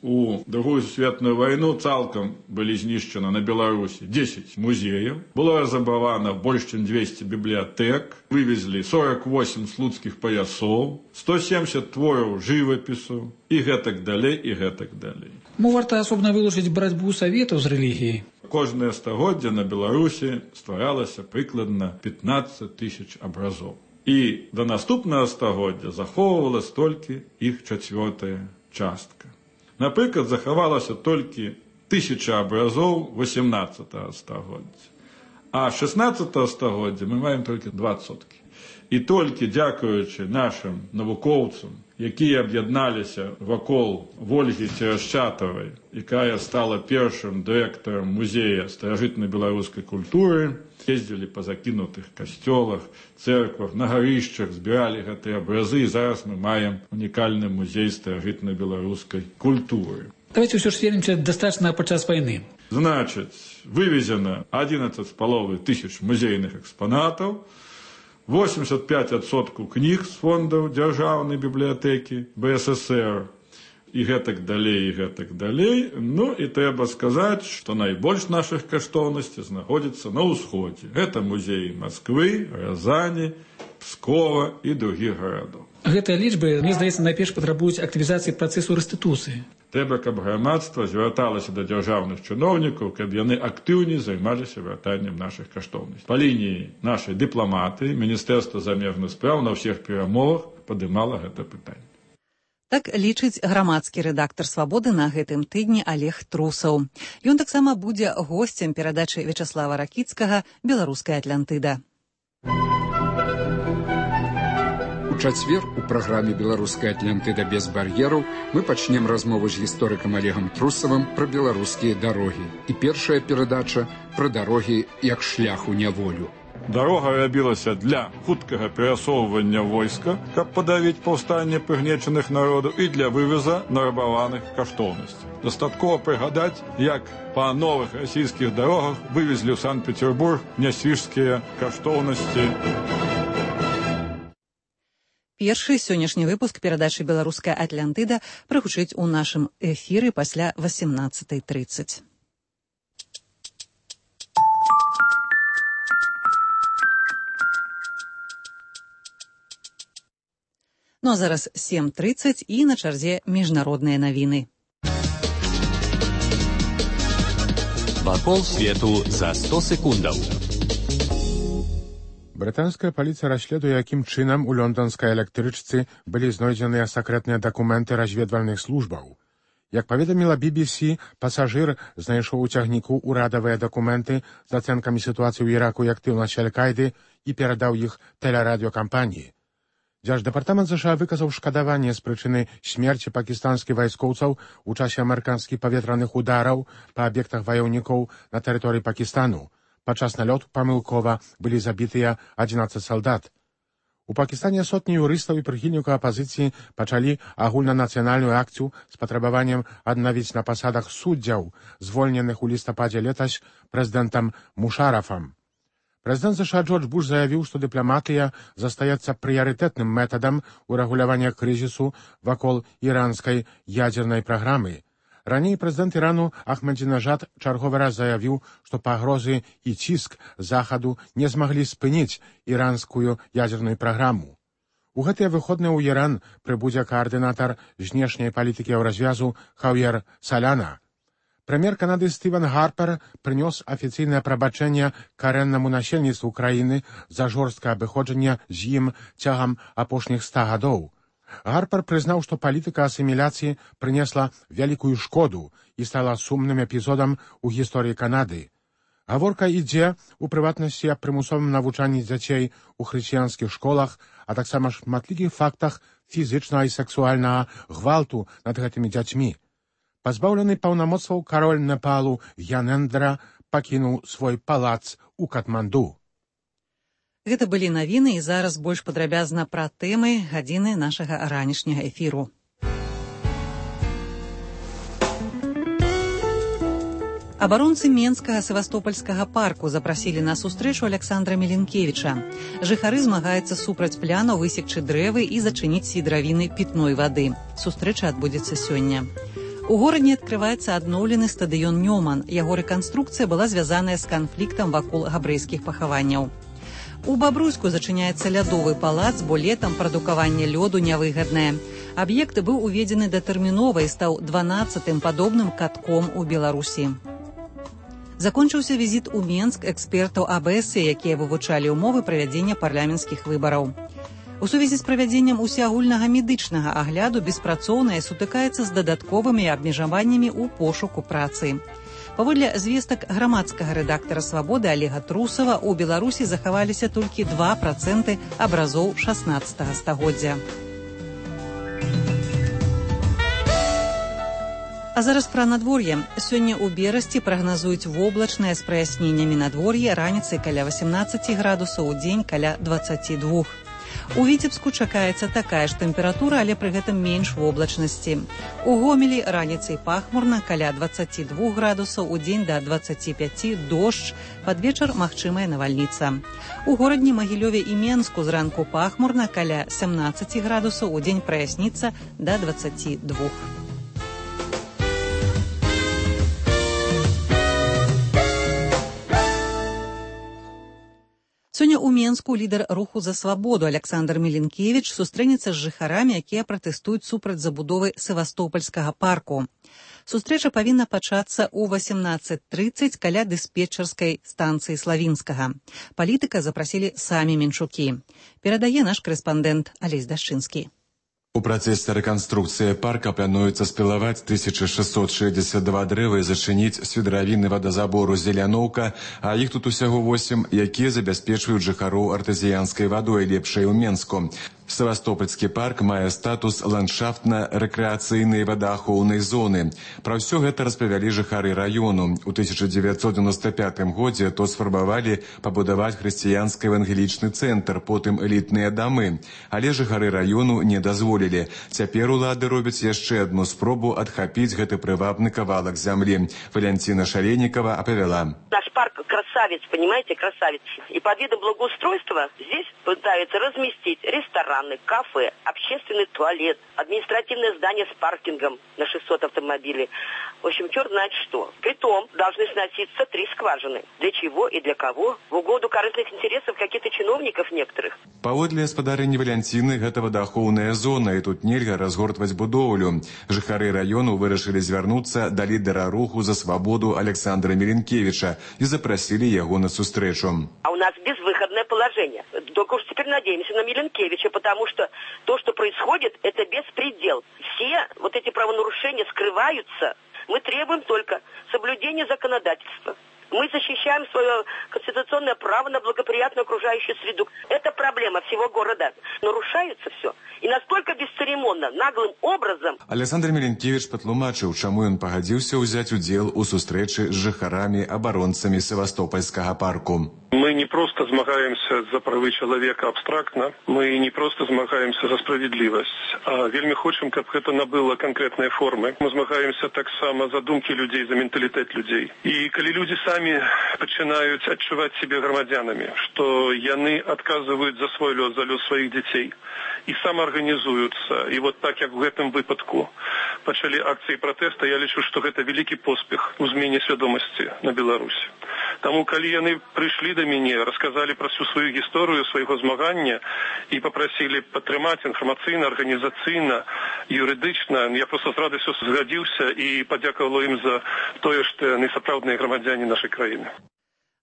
у Другую сусветную войну цалкам былі знішчаны на Беларусі 10 музеяў, было разрабавана больш чым 200 бібліятэк, вывезлі 48 слуцкіх паясоў, 170 твораў жывапісу і гэтак далей, і гэтак далей. Варта асобна вылучыць барацьбу саветаў з рэлігіяй. Кожнае стагоддзе на Беларусі стваралася прыкладна 15 000 абразоў. І да наступнага стагоддзя захоўвалась толькі іх 4-я частка. Напрыклад, захавалася толькі 1000 абразоў 18-го стагоддзя. А 16-го стагоддзя мы маем толькі 20%. І толькі дзякуючы нашым навукоўцам, якія аб'ядналіся вакол Вольгі Церашчатавай, якая стала першым дырэктарам музея старажытнай беларускай культуры, ездзілі па закінутых касцёлах, цэрквах, на гарышчах, збіралі гэтыя абразы, і зараз мы маем унікальны музей старажытнай беларускай культуры. Давайте ўсё ж вернемся да страчанага падчас вайны. Значыць, вывезена 11,5 тысяч музейных экспанатаў, 85% кніг з фондаў дзяржаўнай бібліятэкі БССР, і гэтак далей, і гэтак далей. Ну, і трэба сказаць, што найбольш нашых каштоўнасцей знаходзіцца на ўсходзе. Гэта музеі Масквы, Рязані, Пскова і другіх гарадоў. Гэтыя лічбы, мне здаецца, найперш патрабуюць актывізацыі працэсу рэстытуцыі. Трэба, каб грамадства звярталася да дзяржаўных чыноўнікаў, каб яны актыўней займаліся вяртаннем нашых каштоўнасцей. Па лініі нашай дыпламатыі Міністэрства замежных спраў на ўсіх перамовах падымала гэта пытанне. Так лічыць грамадскі рэдактар «Свабоды» на гэтым тыдні Олег Трусаў. Ён таксама будзе госцем перадачы Вячаслава Ракіцкага «Беларуская Атлантыда». У чацвер у праграме «Беларуская Атлантыда без бар'ераў» мы пачнем размову з гісторыкам Олегам Трусавым пра беларускія дарогі. І першая перадача пра дарогі як шлях у няволю. Дарога рабілася для хуткага перасоўвання войска, каб падавіць паўстанне прыгнечаных народаў і для вывеза нарабаваных каштоўнасцей. Дастаткова прыгадаць, як па новых расійскіх дарогах вывезлі ў Санкт-Петербург нясвіжскія каштоўнасці. Першы сённяшні выпуск перадачы «Беларуская Атлантыда» прагучыць у нашым эфіры пасля 18:30. Ну а зараз 7:30 і на чарзе міжнародныя навіны. Вакол свету за 100 секундаў. Брытанская паліцыя расследуе, якім чынам у лонданскай электрычцы былі знойдзеныя сакрэтныя дакументы разведвальных службаў. Як паведаміла BBC, пасажыр знайшоў у цягніку ўрадавыя дакументы з ацэнкамі сітуацыі ў Іраку і актыўнасці Аль-Каіды і перадаў іх тэлерадыёкампаніі. Дзярждэпартамент США выказаў шкадаванне з прычыны смерці пакістанскіх вайскоўцаў у часе амерыканскіх паветраных удараў па аб'ектах ваяўнікоў на тэрыторыі Пакістану. Падчас налёту памылкова былі забітыя 11 салдат. У Пакістане сотні юрыстаў і прыхільнікаў апазіцыі пачалі агульнанацыянальную акцыю з патрабаваннем аднавіць на пасадах суддзяў, звольненых у лістападзе летась прэзідэнтам Мушарафам. Прэзідэнт США Джордж Буш заявіў, што дыпламатыя застаецца прыярытэтным метадам урэгулявання крызісу вакол іранскай ядзернай праграмы. Раней прэзідэнт Ірану Ахмадзінажад чарговы раз заявіў, што пагрозы і ціск захаду не змаглі спыніць іранскую ядзерную праграму. У гэтыя выходныя ў Іран прыбудзе каардынатар знешняй палітыкі Еўразвязу Хаўер Саляна. Прэм'ер Канады Стывен Гарпер прынёс афіцыйнае прабачэнне карэннаму насельніцтву краіны за жорсткае абыходжанне з ім цягам апошніх 100 гадоў. Гарпер прызнаў, што палітыка асіміляцыі прынесла вялікую шкоду і стала сумным эпізодам у гісторыі Канады. Гаворка ідзе, у прыватнасці, аб прымусовым навучанні дзяцей у хрысціянскіх школах, а таксама шматлікіх фактах фізічнага і сексуальнага гвалту над гэтымі дзяцьмі. Пазбаўлены паўнамоцтваў кароль Непалу Янендра пакінуў свой палац у Катманду. Гэта былі навіны, і зараз больш падрабязна пра тэмы гадзіны нашага ранішняга эфіру. Абаронцы Менскага севастопольскага парку запрасілі на сустрэчу Александра Меленкевіча. Жыхары змагаюцца супраць пляну высекчы дрэвы і зачыніць свідравіны пітной вады. Сустрэча адбудзецца сёння. У горадзе адкрываецца адноўлены стадыён Нёман. Яго рэканструкцыя была звязаная з канфліктам вакол габрэйскіх пахаванняў. У Бабруйску зачыняецца лядовы палац, бо летам прадукаванне лёду нявыгаднае. Аб'ект быў уведзены датэрмінова і стаў 12-м падобным катком у Беларусі. Закончыўся візіт у Менск экспертаў АБС, якія вывучалі ўмовы правядзення парламенцкіх выбараў. У сувязі з правядзеннем усеагульнага медычнага агляду беспрацоўныя сутыкаецца з дадатковымі абмежаваннямі ў пошуку працы. Паводле звестак грамадскага рэдактара «Свабоды» Олега Трусава, у Беларусі захаваліся толькі 2% абразоў 16 стагоддзя. А зараз пра надвор'е. Сёння ў Берасці прагназуюць воблачнае з праясненнямі надвор'е, раніцай каля 18 градусаў, удзень каля 22. У Віцебску чакаецца такая ж тэмпература, але пры гэтым менш воблачнасці. У Гомелі раніцай пахмурна каля 22 градусаў, удзень да 25, дождж, пад вечар магчымая навальніца. У горадні Магілёве і Менску зранку пахмурна каля 17 градусаў, удзень праясніцца да 22. Сёння ў Менску лідар руху за свабоду Александр Меленкевіч сустрэнецца з жыхарамі, якія пратэстуюць супраць забудовы Севастопольскага парку. Сустрэча павінна пачацца ў 18:30 каля дыспетчарскай станцыі Славінскага. Палітыка запрасілі самі менчукі. Перадае наш корэспандэнт Алесь Дашчынскі. У працэсе рэканструкцыі парка плануецца спілаваць 1662 дрэвы і зачыніць свідравінны вадазабору «Зеляноўка», а іх тут усяго 8, якія забяспечваюць жыхароў артэзіянскай вадой лепшай у Менску. Севастопольскі парк мае статус ландшафтна-рэкрэацыйнай вадаахоўнай зоны. Пра ўсё гэта распавялі жыхары раёну. У 1995 годзе тут сфармавалі пабудаваць хрысціянскі евангелічны цэнтр, потым элітныя дамы. Але жыхары раёну не дазволілі. Цяпер улады робяць яшчэ адну спробу адхапіць гэты прывабны кавалак зямлі. Валянціна Шаленікова апавяла. Наш парк красавец, понимаете, красавец. И под видом благоустройства здесь пытаются разместить ресторан, кафе, общественный туалет, административное здание с паркингом на 600 автомобилей. В общем, черт знает что. Притом должны сноситься 3 скважины. Для чего и для кого? В угоду корыстных интересов каких-то чиновников некоторых. Паводле гаспадарыні Валянціны, гэта вадаахоўная зона, і тут нельга разгортваць будоўлю. Жыхары раёну вырашылі звярнуцца да лідара руху за свабоду Александра Меленкевича і запрасілі яго на сустрэчу. А у нас безвыходное положение. Только уж теперь надеемся на Меленкевича, потому что то, что происходит, это беспредел. Все вот эти правонарушения скрываются. Мы требуем только соблюдения законодательства. Мы защищаем свое конституционное право на благоприятную окружающую среду. Это проблема всего города. Нарушается все. И настолько бесцеремонно, наглым образом. Александр Меленкевич патлумачыў, чаму ён пагадзіўся ўзяць удзел у сустрэчы з жыхарамі-абаронцамі Севастопольскага парку. Мы не просто змагаемся за правы чалавека абстрактна, мы не просто змагаемся за справядлівасць, а вельмі хочам, каб гэта набыла канкрэтныя формы. Мы змагаемся таксама за думкі людзей, за менталітэт людзей. І калі людзі самі пачынаюць адчуваць сябе грамадзянамі, што яны адказваюць за свой лёс, за лёс сваіх дзяцей, і самаарганізуюцца, і вот так, як у гэтым выпадку пачалі акцыі пратэста, я лічу, што гэта вялікі поспех у змене свядомасці на Беларусі. Таму, калі яны прыйшлі да мяне, расказалі пра всю сваю гісторыю свайго змагання і папрасілі падтрымаць інфармацыйна, арганізацыйна, юрыдычна, я проста з радасцю згадзіўся і падзякавала ім за тое, што яны сапраўдныя грамадзяне нашай краіны.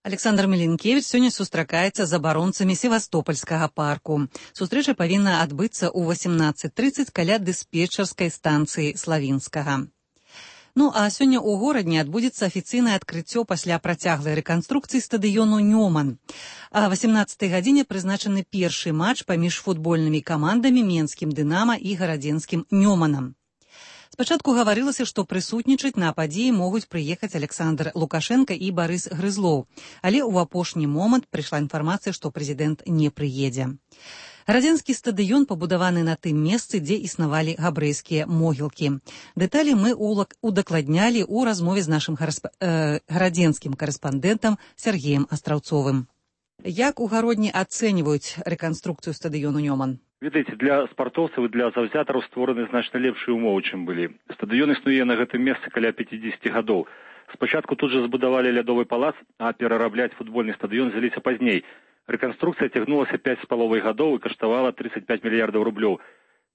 Александр Меленкевич сёння сустракаецца з абаронцамі Севастопольскага парку. Сустрэча павінна адбыцца ў 18:30 каля дыспетчарскай станцыі Славінскага. Ну а сёння ў горадні адбудзецца афіцыйнае адкрыццё пасля працяглай рэканструкцыі стадыёну «Нёман». А 18-й гадзіне прызначаны першы матч паміж футбольнымі камандамі менскім «Дынама» і гарадзенскім «Нёманам». Спачатку гаварылася, што прысутнічаць на падзеі могуць прыехаць Александр Лукашенко і Барыс Грызлоў, але ў апошні момант прыйшла інфармацыя, што прэзідэнт не прыедзе. Гарадзенскі стадыён пабудаваны на тым месцы, дзе існавалі габрэйскія могілкі. Дэталі мы удакладнялі ў размове з нашым гарадзенскім карэспандэнтам Сергеем Астраўцовым. Як у гародні ацэньваюць рэканструкцыю стадыёну «Нёман»? Ведаеце, для спартоўцаў і для заўзятараў створаны значна лепшыя умовы, чым былі. Стадыён існуе на гэтым месцы каля 50 гадоў. Спачатку тут жа збудавалі лядовы палац, а перарабляць футбольны стадыён взяліся пазней. Рэканструкцыя цягнулася 5,5 гадоў і каштавала 35 мільярдаў рублёў.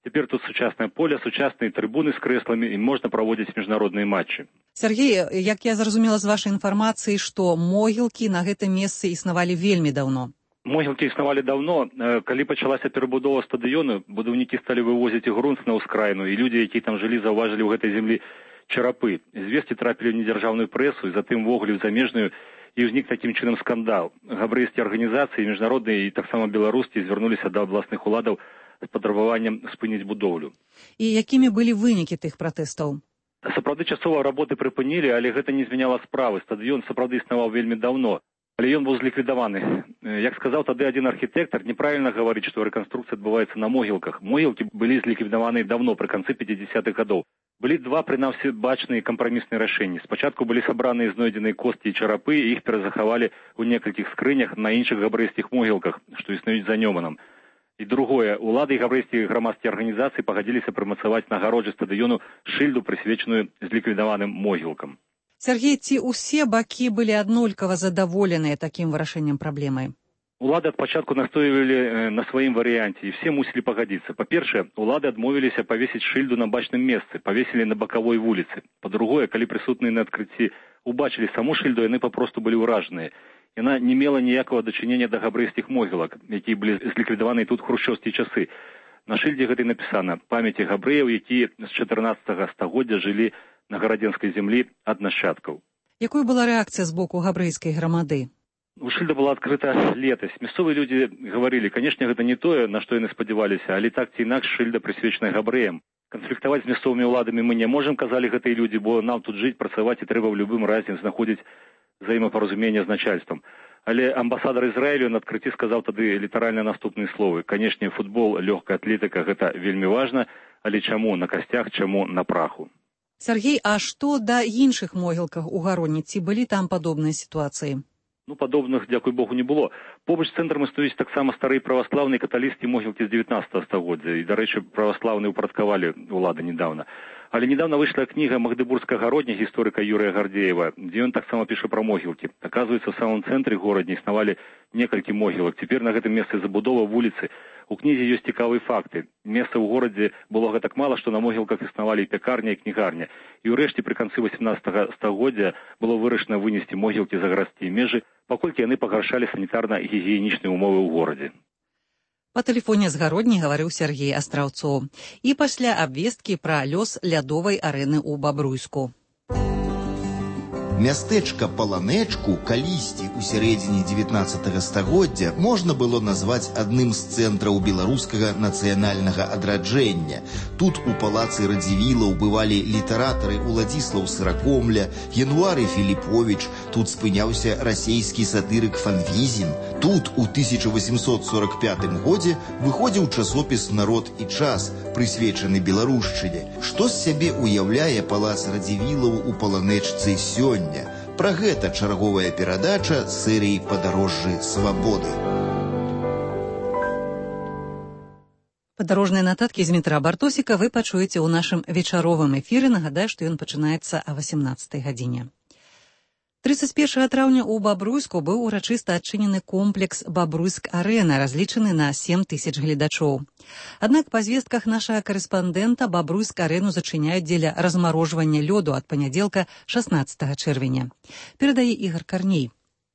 Цяпер тут сучаснае поле, сучасныя трыбуны з крэсламі і можна праводзіць міжнародныя матчы. Сергей, як я зразумела з вашай інфармацыі, што могілкі на гэтым месцы існавалі вельмі даўно. Могілкі існавалі даўно. Калі пачалася перабудова стадыёну, будаўнікі сталі вывозіць грунт на ўскраіну, і людзі, якія там жылі, заўважылі ў гэтай зямлі чарапы. Звесці трапілі ў недзяржаўную прэсу і затым ввогуле ў замежную, і ўзнік такім чынам скандал. Габрэйскія арганізацыі, міжнародныя і таксама беларускія звярнуліся да абласных уладаў з патрабаваннем спыніць будоўлю. І якімі былі вынікі тых пратэстаў? Сапраўды часова работы прыпынілі, але гэта не змяняла справы. Стадыён сапраўды існаваў вельмі даўно, але ён быў зліквідаваны. Як сказаў тады адзін архітэктар, неправільна гаварыць, што рэканструкцыя адбываецца на могілках. Могілкі былі зліквідаваны даўно, пры канцы 50-х гадоў. Былі два, прынамсі, бачныя кампрамісныя рашэнні. Спачатку былі сабраныя знойдзеныя косці і чарапы, і іх перазахавалі ў некалькіх скрынях на іншых габрэйскіх могілках, што існуюць за Нёманам. І другое, улады і габрэйскія грамадскія арганізацыі пагадзіліся прымацаваць на агароджы стадыёну шыльду, прысвечаную зліквідаваным могілкам. Сергей, ці ўсе бакі былі аднолькава задаволеныя такім вырашэннем праблемы? Улады ад пачатку настойвалі на сваім варыянце, і все мусілі пагадзіцца. Па-першае, улады адмовіліся павесіць шыльду на бачным месцы, павесілі на бакавой вуліцы. Па-другое, калі прысутныя на адкрыцці убачылі саму шыльду, яны папросту былі ўражаныя. Яна не мела ніякага дачынення да габрэйскіх могілак, якія былі зліквідаваны тут хрушчоўскія часы. На шыльдзе гэтай напісана «Памяці габрэяў, якія з 14 стагоддзя жылі на гарадзенскай зямлі ад нашчадкаў». Якой была рэакцыя з боку габрэйскай грамады? Шыльда была адкрыта летась. Мясцовыя людзі гаварылі, канешне, гэта не тое, на што яны спадзяваліся, але так ці інакш шыльда прысвечаная габрэям. Канфліктаваць з мясцовымі ўладамі мы не можам, казалі гэтыя людзі, бо нам тут жыць, працаваць і трэба ў любым разе знаходзіць взаимопаразумение з начальством. Але амбасадар Ізраілю на адкрыцці сказаў тады літаральна наступныя словы. Канешне, футбол, лёгкая атлетыка – гэта вельмі важна, але чаму на касцях, чаму на праху? Сергей, а што да іншых могілках у Гароні? Ці былі там падобныя сітуацыі? Падобных, дзякуй Богу, не было. Побач з цэнтрам існуюць таксама старыя праваслаўныя каталіцкія могілкі з 19 стагоддзя. І, дарэчы, праваслаўныя ўпарадкавалі ўлады недавно. Але недавно выйшла кніга Магдыбургскага гародня гісторыка Юрыя Гардзеева, дзе ён таксама піша пра могілкі. Аказваецца, в самом цэнтры горадня існавалі некалькі могілак. Цяпер на гэтым месцы забудова вуліцы. У кнізе ёсць цікавыя факты. Месца ў горадзе было гэтак мала, што на могілках існавалі і пякарня, і кнігарня. І ўрэшце пры канцы 18 стагоддзя было вырашана вынесці могілкі за гарадскія межы, паколькі яны пагаршалі санітарна-гігіенічныя умовы ў горадзе. Па тэлефоне з Гародні гаварыў Сергей Астраўцоў. І пасля абвесткі пра лёс лядовай арэны ў Бабруйску. Мястэчка Паланэчку калісьці ў сярэдзіне 19 стагоддзя можна было назваць адным з цэнтраў беларускага нацыянальнага адраджэння. Тут у палацы Радзівілаў бывалі літаратары Уладзіслаў Сыракомля, Януары Філіповіч, тут спыняўся расейскі сатырык Фанвізін. Тут у 1845 годзе выходзіў часопіс «Народ і час», прысвечаны беларушчыне. Што з сябе уяўляе палац Радзівілаў у Паланэчцы сёння? Пра гэта чарговая перадача серыі «Падарожжы свабоды». Падарожныя нататкі з метра Бартосіка вы пачуеце ў нашым вечаровым эфіры. Нагадаю, што ён пачынаецца о 18 гадзіне. 31 траўня ў Бабруйску быў урачыста адчынены комплекс «Бабруйск-арэна», разлічаны на 7 тысяч гледачоў. Аднак па звестках нашага карэспандэнта Бабруйск-арэну зачыняюць дзеля размарожвання лёду ад панядзелка 16 чэрвеня. Перадае Ігар Карней.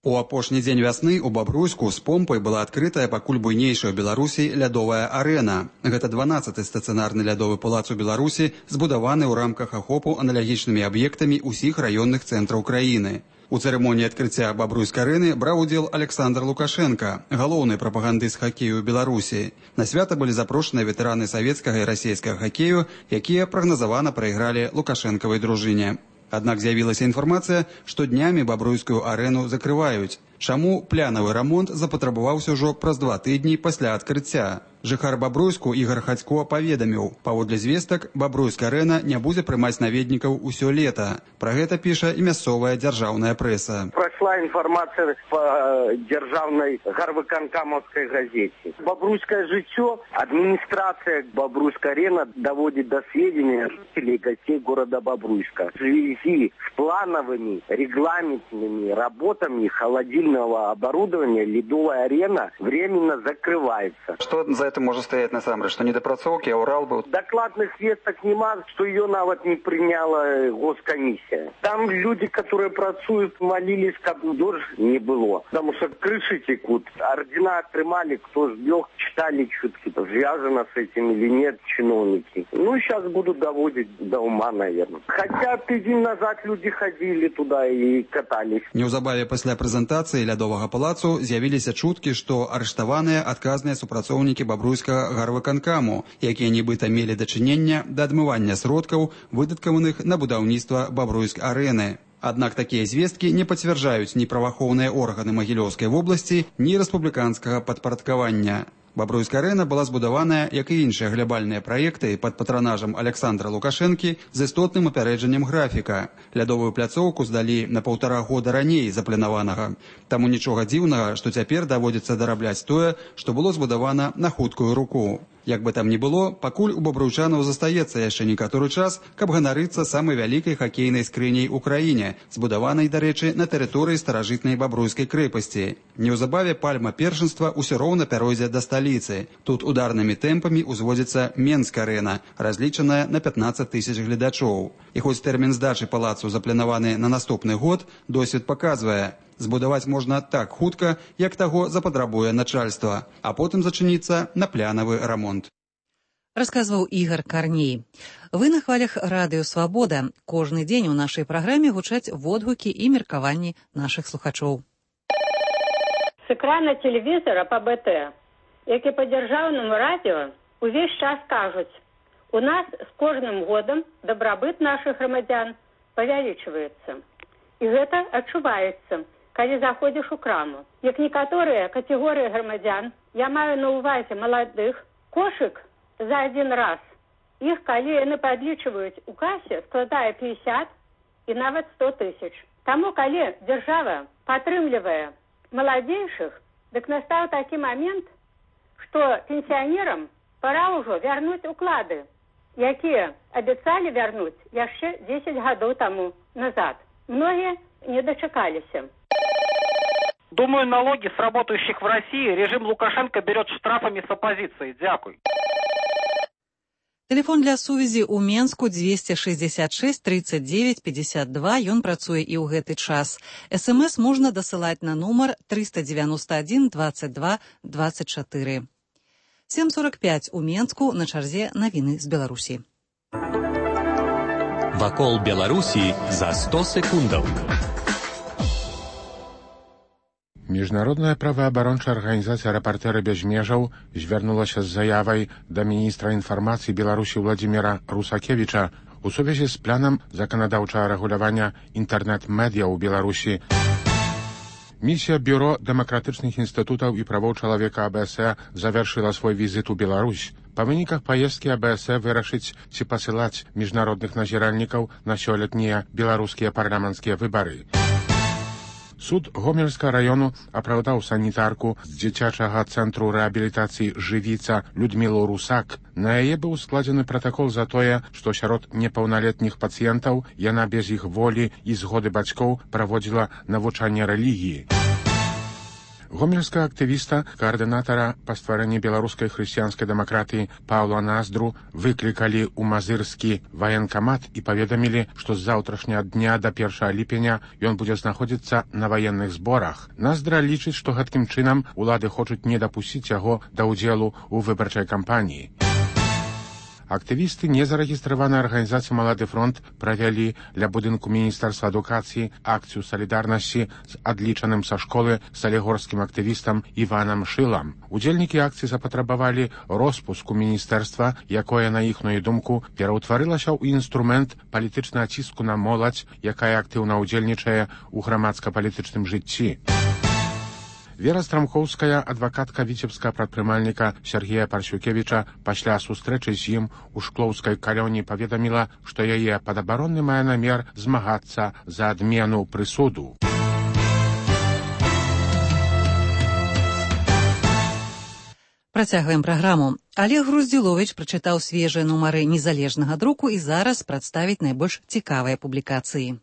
У апошні дзень вясны ў Бабруйску з помпай была адкрытая пакуль буйнейшая ў Беларусі лядовая арэна. Гэта 12-й стацыянарны лядовы палац у Беларусі, збудаваны ў рамках ахопу аналагічнымі аб'ектамі ўсіх раённых цэнтраў краіны. У цырымоніі адкрыцця Бабруйск-арэны браў удзел Александр Лукашенко, галоўны прапагандыст хакею ў Беларусі. На свята былі запрошаныя ветэраны савецкага і расейскага хакею, якія прагназавана прайгралі Лукашэнкавай дружыне. Аднак з'явілася інфармацыя, што днямі Бабруйскую арэну закрываюць. Чаму плянавы рамонт запатрабаваўся ўжо праз 2 тыдні пасля адкрыцця? Жыхар Бабруйску Ігар Хацько паведаміў, паводле звестак, Бабруйск-арэна не будзе прымаць наведнікаў усё лета. Пра гэта піша і мясцовая дзяржаўная прэса. Прайшла інфармацыя па дзяржаўнай гарвыканкамаўскай газеце. Бабруйскае жыццё адміністрацыя Бабруйск-арена даводзіць да сведзення жителей і гостей города Бабруйска. В связи с плановыми регламентными работами холодильного оборудования ледовая арена временно закрывается. Что за это может стоять насамрэч? Что недопрацоўкі, а Урал был? Докладных весток нема, что ее нават не приняла госкомиссия. Там люди, которые працуют, молились, как дождь не было. Потому что крыши текут. Ордена отрымали, кто сбег, читали чутки. Связано с этим или нет чиновники. Ну, сейчас будут доводить до ума, наверное. Хотя тыдзень назад люди ходили туда и катались. Неўзабаве пасля прэзентацыі лядовага палацу з'явіліся чуткі, што арыштаваныя адказныя супрацоўнікі бабруйскага гарвыканкаму, якія нібыта мелі дачынення да адмывання сродкаў, выдаткаваных на будаўніцтва Бабруйск-арэны. Аднак такія звесткі не пацвярджаюць ні праваахоўныя органы Магілёўскай вобласці, ні рэспубліканскага падпарадкавання. Бабруйск-арэна была збудаваная, як і іншыя глябальныя праекты пад патранажам Александра Лукашэнкі з істотным апярэджаннем графіка. Лядовую пляцоўку здалі на 1,5 года раней запланаванага. Таму нічога дзіўнага, што цяпер даводзіцца дарабляць тое, што было збудавана на хуткую руку. Як бы там ні было, пакуль у бабруйчанаў застаецца яшчэ некаторы час, каб ганарыцца самай вялікай хакейнай скрыняй у краіне, збудаванай, дарэчы, на тэрыторыі старажытнай бабруйскай крэпасці. Неўзабаве пальма першынства ўсё роўна пяройдзе да сталіцы. Тут ударнымі тэмпамі ўзводзіцца Менск-арэна, разлічаная на 15 тысяч гледачоў. І хоць тэрмін здачы палацу запланаваны на наступны год, досвед паказвае, збудаваць можна так хутка, як таго запатрабуе начальства, а потым зачыніцца на плянавы рамонт. Расказваў Ігар Карней. Вы на хвалях радыё «Свабода». Кожны дзень у нашай праграме гучаць водгукі і меркаванні нашых слухачоў. С экрана телевизора по БТ, як і по дзяржаўнаму радио, увесь час кажуць, у нас с кожным годам дабрабыт наших грамадзян павялічваецца. І гэта адчуваецца, калі заходзіш у краму. Як некаторыя катэгорыі грамадзян, я маю на ўвазе маладых, кошык за один раз. Іх, калі яны падлічваюць у касе, складае 50 і нават 100 тысяч. Таму, калі дзяржава падтрымлівае маладзейшых, дык настаў такі момент, што пенсіянерам пора ўжо вярнуць уклады, якія абяцалі вярнуць яшчэ 10 гадоў таму назад. Многія не дачакаліся. Думаю, налоги с работающих в России режим Лукашенко берет штрафами с оппозицией. Дякуй. Телефон для сувязі ў Менску 266 39 52. Ён працуе і ў гэты час. СМС можна дасылаць на нумар 391 22 24. 7:45 у Менску, на чарзе навіны з Беларусі. Вакол Беларусі за 100 секундаў. Міжнародная праваабарончая арганізацыя «Рэпартэры без межаў» звярнулася з заявай да міністра інфармацыі Беларусі Владзіміра Русакевіча у сувязі з планам заканадаўчага рэгулявання інтэрнэт-медыя ў Беларусі. Місія Бюро дэмакратычных інстытутаў і правоў чалавека АБС завяршыла свой візіт у Беларусь. Па выніках паездкі АБС вырашыць, ці пасылаць міжнародных назіральнікаў на сёлетнія беларускія парламенцкія выбары. Суд Гомельскага раёну апраўдаў санітарку з дзіцячага цэнтру рэабілітацыі «Жывіца» Людмілу Русак. На яе быў складзены пратакол за тое, што сярод непаўналетніх пацыентаў яна без іх волі і згоды бацькоў праводзіла навучанне рэлігіі. Гомельскага актывіста, каардынатара па стварэнні беларускай хрысціянскай дэмакратыі Паўла Наздру выклікалі ў мазырскі ваенкамат і паведамілі, што з заўтрашняга дня да 1 ліпеня ён будзе знаходзіцца на ваенных зборах. Наздра лічыць, што гэткім чынам улады хочуць не дапусціць яго да ўдзелу ў выбарчай кампаніі. Актывісты незарэгістраванай арганізацыі «Малады фронт» правялі ля будынку Міністэрства адукацыі акцыю салідарнасці з адлічаным са школы салігорскім актывістам Іванам Шылам. Удзельнікі акцыі запатрабавалі роспуску міністэрства, якое, на іхную думку, пераўтварылася ў інструмент палітычнага ціску на моладзь, якая актыўна ўдзельнічае ў грамадска-палітычным жыцці. Вера Страмхоўская, адвакатка віцебскага прадпрымальніка Сергея Парсюкевіча, пасля сустрэчы з ім у шклоўскай калоні паведаміла, што яе падабаронны мае намер змагацца за адмену прысуду. Працягваем праграму. Олег Груздзіловіч прачытаў свежыя нумары незалежнага друку і зараз прадставіць найбольш цікавыя публікацыі.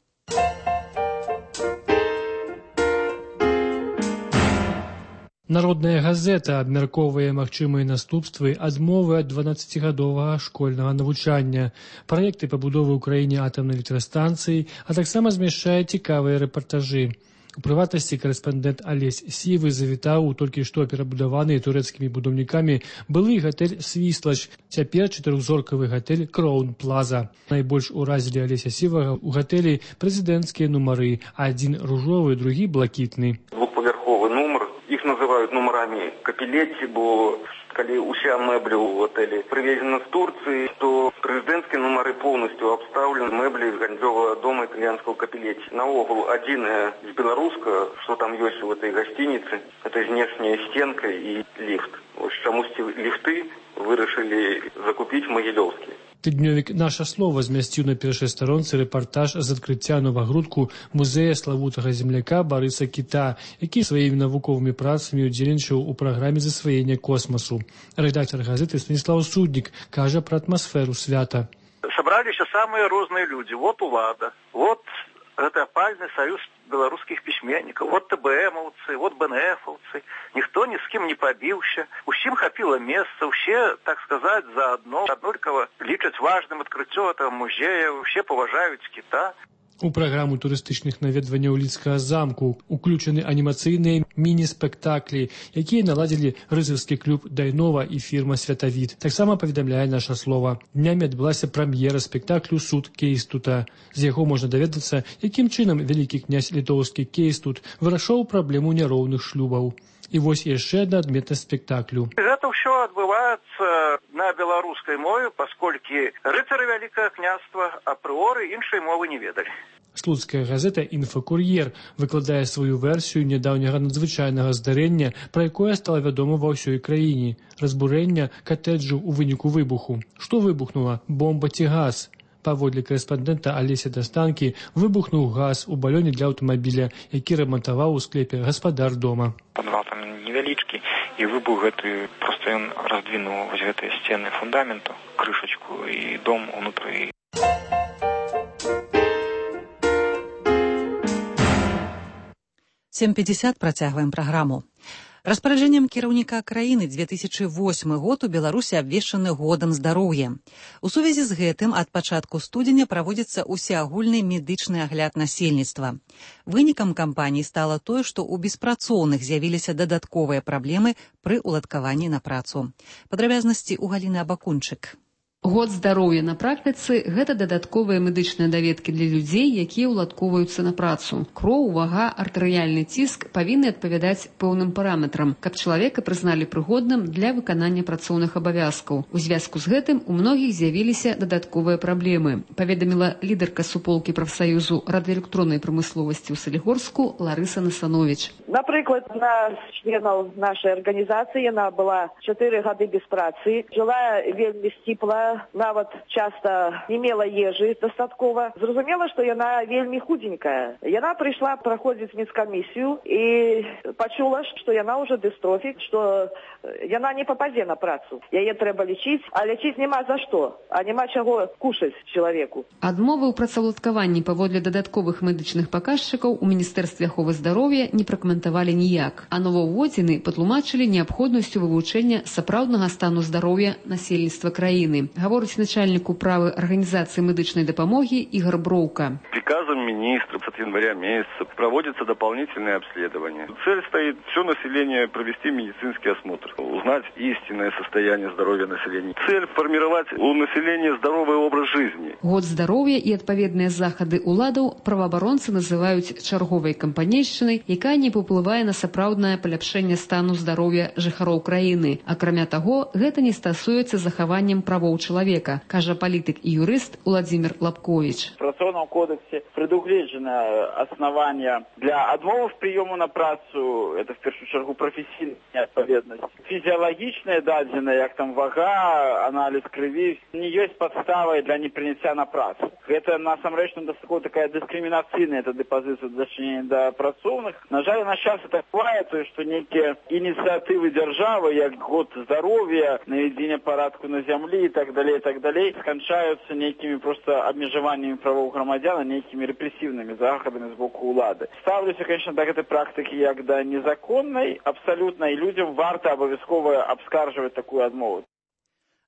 Народная газета абмяркоўвае магчымыя наступствы адмовы ад 12-гадовага школьнага навучання, праекты пабудовы ў краіне атамнай электрастанцыі, а таксама змяшчае цікавыя рэпартажы. У прыватнасці карэспандэнт Алесь Сівы завітаў у толькі што перабудаваны турэцкімі будаўнікамі былы гатэль «Свіслач», цяпер 4-зоркавы гатэль «Кроун Плаза». Найбольш уразілі Алеся Сівага ў гатэлі прэзідэнцкія нумары, адзін ружовы, другі блакітны. Двухпавярховы нумар. Их называют номерами Капелетти, бо коли уся мебля у отеле привезена с Турции, то президентские номеры полностью обставлены меблей из гостевого дома итальянского Капелетти. На угол один из белорусского, что там есть в этой гостинице, это внешняя стенка и лифт. Вот чему лифты вырашили закупить Могилевские. Тыднёвік «Наша слова» змясціў на першай старонцы рэпартаж з адкрыцця новагрудку музея славутага земляка Барыса Кіта, які сваімі навуковымі працамі удзельнічаў у праграме засваення космасу. Рэдактор газеты Станіслав Суднік кажа пра атмасферу свята. Собрались самые разные люди. Вот улада, вот это опальный союз белорусских письменников, вот ТБМовцы, вот БНФовцы. Никто ни с кем не побился. Усім хапило место, все, так сказать, заодно. Однолького лічаць важным открытие этого музея, все поважают Кита. У праграму турыстычных наведванняў Лідскага замку уключаны анімацыйныя міні-спектаклі, якія наладзілі рыцарскі клуб «Дайнова» і фірма «Святавід». Таксама паведамляе наша слова. Днямі адбылася прэм'ера спектаклю «Суд Кейстута». З яго можна даведацца, якім чынам вялікі князь літоўскі Кейстут вырашаў праблему няроўных шлюбаў. І вось яшчэ адна адметнасць спектаклю. Гэта ўсё адбываецца на беларускай мове, пасколькі рыцары Вялікага княства апрыоры іншай мовы не ведалі. Слуцкая газета «Інфакур'ер» выкладае сваю версію нядаўняга надзвычайнага здарэння, пра якое стала вядома ва ўсёй краіне – разбурэння катэджу ў выніку выбуху. Што выбухнула? Бомба ці газ? Паводле корэспандэнта Алеся Дастанкі, выбухнуў газ у балёне для аўтамабіля, які рамантаваў у склепе гаспадар дома. Падвал там невялічкі, і выбух гэты, проста ён раздвінуў вось гэтыя сцены фундаменту, крышачку і дом унутры. 7:50 працягваем праграму. Распараджэннем кіраўніка краіны 2008 год у Беларусі абвешчаны годам здароўя. У сувязі з гэтым ад пачатку студзеня праводзіцца усеагульны медычны агляд насельніцтва. Вынікам кампаніі стала тое, што ў беспрацоўных з'явіліся дадатковыя праблемы пры ўладкаванні на працу. Падрабязнасці ў Галіны Абакунчык. Год здароўя на практыцы – гэта дадатковыя медычныя даведкі для людзей, якія ўладкоўваюцца на працу. Кроў, вага, артэрыяльны ціск павінны адпавядаць пэўным параметрам, каб чалавека прызналі прыгодным для выканання працоўных абавязкаў. У звязку з гэтым у многіх з'явіліся дадатковыя праблемы, паведаміла лідарка суполкі прафсаюзу радыёэлектроннай прамысловасці ў Салігорску Ларыса Насанович. Напрыклад, на членаў нашай арганізацыі яна была 4 гады без працы, жыла вельмі сціпла, нават часта не мела ежы дастаткова. Зразумела, што яна вельмі худенькая. Яна прыйшла праходзіць медкамісію і пачула, што яна ўжо дыстрофік, што яна не пападзе на працу. Яе трэба лечіць, а лечіць няма за што, а няма чаго кушаць чалавеку. Адмовы ў працаўладкаванні паводле дадатковых медычных паказчыкаў у Міністэрстве аховы здароўя не пракаментавалі ніяк, а новаўводзіны патлумачылі неабходнасцю вывучэння сапраўднага стану здароўя насельніцтва краіны. Гаворыць начальник управы организации медичной допомоги Игорь Броука. Приказом министра с января месяца проводится дополнительное обследование. Цель стоит все население провести медицинский осмотр, узнать истинное состояние здоровья населения. Цель формировать у населения здоровый образ жизни. Год здоровья и адпаведныя захады уладаў праваабаронцы называюць чарговай кампанейшчынай, якая не паўплывае на сапраўднае паляпшэнне стану здароўя жыхароў краіны. Акрамя таго, гэта не стасуецца захаваннем правоў человека, кажа политик и юрист Владимир Лапкович. В Працоўным кодексе предугледжено основания для отмовы в приему на працу, это в первую очередь профессийная неотповедность. Физиологичные дадзены, як там вага, анализ крови, не есть подставой для непринятия на працу. Это насамрэч такая дискриминацийная позиция дачынення до працоўных. На жаль, на час это бывает, что некие инициативы державы, як год здоровья, наведение порядку на земле и так далее, скончаются некими просто обмежеваниями правов громадян, некими репрессивными заходами с боку улады. Ставлюся, конечно, до этой практики як до незаконной, абсолютно, и людям варто обовязково обскарживать такую отмову.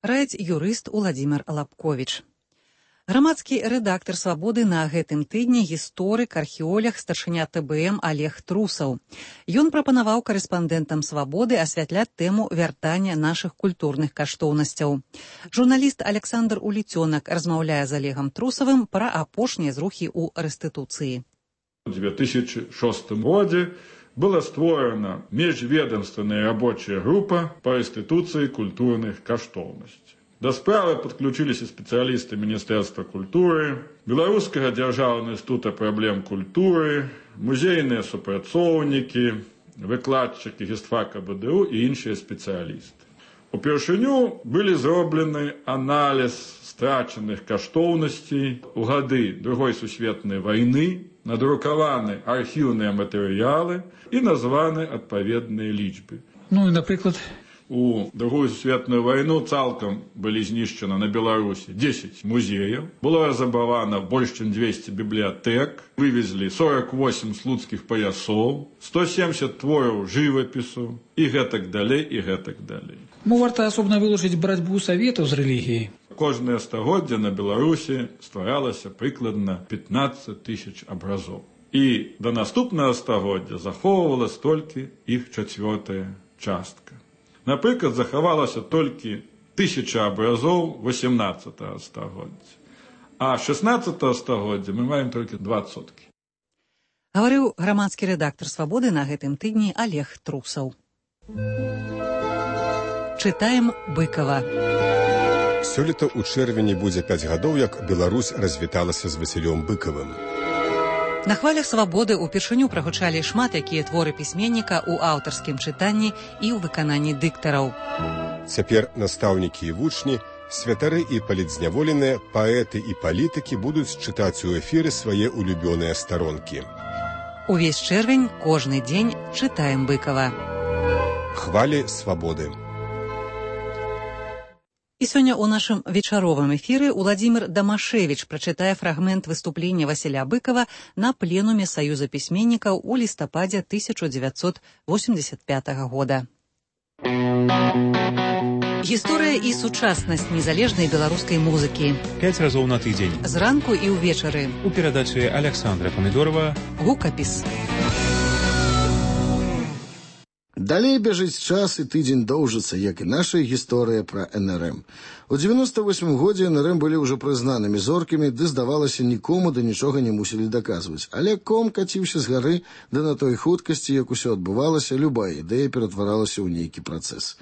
Раіць юрыст Владимир Лапкович. Грамадскі рэдактар «Свабоды» на гэтым тыдні гісторык, археолог, старшыня ТБМ Олег Трусаў. Ён прапанаваў корэспандэнтам «Свабоды» асвятляць тэму вяртання нашых культурных каштоўнасцяў. Журналіст Александр Уліцёнак размаўляе з Олегом Трусавым пра апошнія зрухі ў рэстытуцыі. У 2006 годзе была створена межведомственная рабочая группа по рэстытуцыі культурных каштоўнасцей. До справы подключились и специалисты Министерства культуры, Белорусского державного института проблем культуры, музейные супрацоўнікі, выкладчики гістфака БДУ и іншыя специалисты. Упершыню были зроблены анализ страченых каштоўнасцей у гады Другой сусветнай войны, надрукаваны архіўныя матэрыялы и названы адпаведныя лічбы. Ну и, например, у Другую сусветную войну цалкам былі знішчаны на Беларусі 10 музеяў, было разрабавана больш чым 200 бібліятэк, вывезлі 48 слуцкіх паясоў, 170 твораў жывапісу і гэтак далей, і гэтак далей. Варта асобна вылучыць барацьбу саветаў з рэлігіяй. кожнае стагоддзе на Беларусі стваралася прыкладна 15 тысяч абразоў. І да наступнага стагоддзя захоўвалась толькі іх 4-я частка. Напрыклад, захавалася толькі 1000 абразоў 18 стагоддзя, а 16 стагоддзя мы маем толькі 20%. Гаварыў грамадскі рэдактар «Свабоды» на гэтым тыдні Олег Трусаў. Чытаем Быкова. Сёлета ў чэрвені будзе 5 гадоў, як Беларусь развіталася з Васілём Быкавым. На хвалях «Свабоды» упершыню прагучалі шмат якія творы пісьменніка ў аўтарскім чытанні і ў выкананні дыктараў. Цяпер настаўнікі і вучні, святары і палітзняволеныя, паэты і палітыкі будуць чытаць у эфіры свае улюбёныя старонкі. Увесь чэрвень, кожны дзень чытаем Быкова. Хвалі свабоды. І сёння ў нашым вечаровым эфіры Уладзімір Дамашевіч прачытае фрагмент выступлення Васіля Быкова на пленуме Саюза пісьменнікаў у лістападзе 1985 года. Гісторыя і сучаснасць незалежнай беларускай музыкі. 5 разоў на тыдзень. Зранку і ўвечары. У перадачы Александра Памідорова. Гукапіс. Далей бяжыць час і тыдзень доўжыцца, як і наша гісторыя пра НРМ. У 98 годзе НРМ былі ўжо прызнанымі зоркамі, ды, здавалася, нікому да нічога не мусілі даказваць. Але ком каціўся з гары, да на той хуткасці, як усё адбывалася, любая ідэя ператваралася ў нейкі працэс.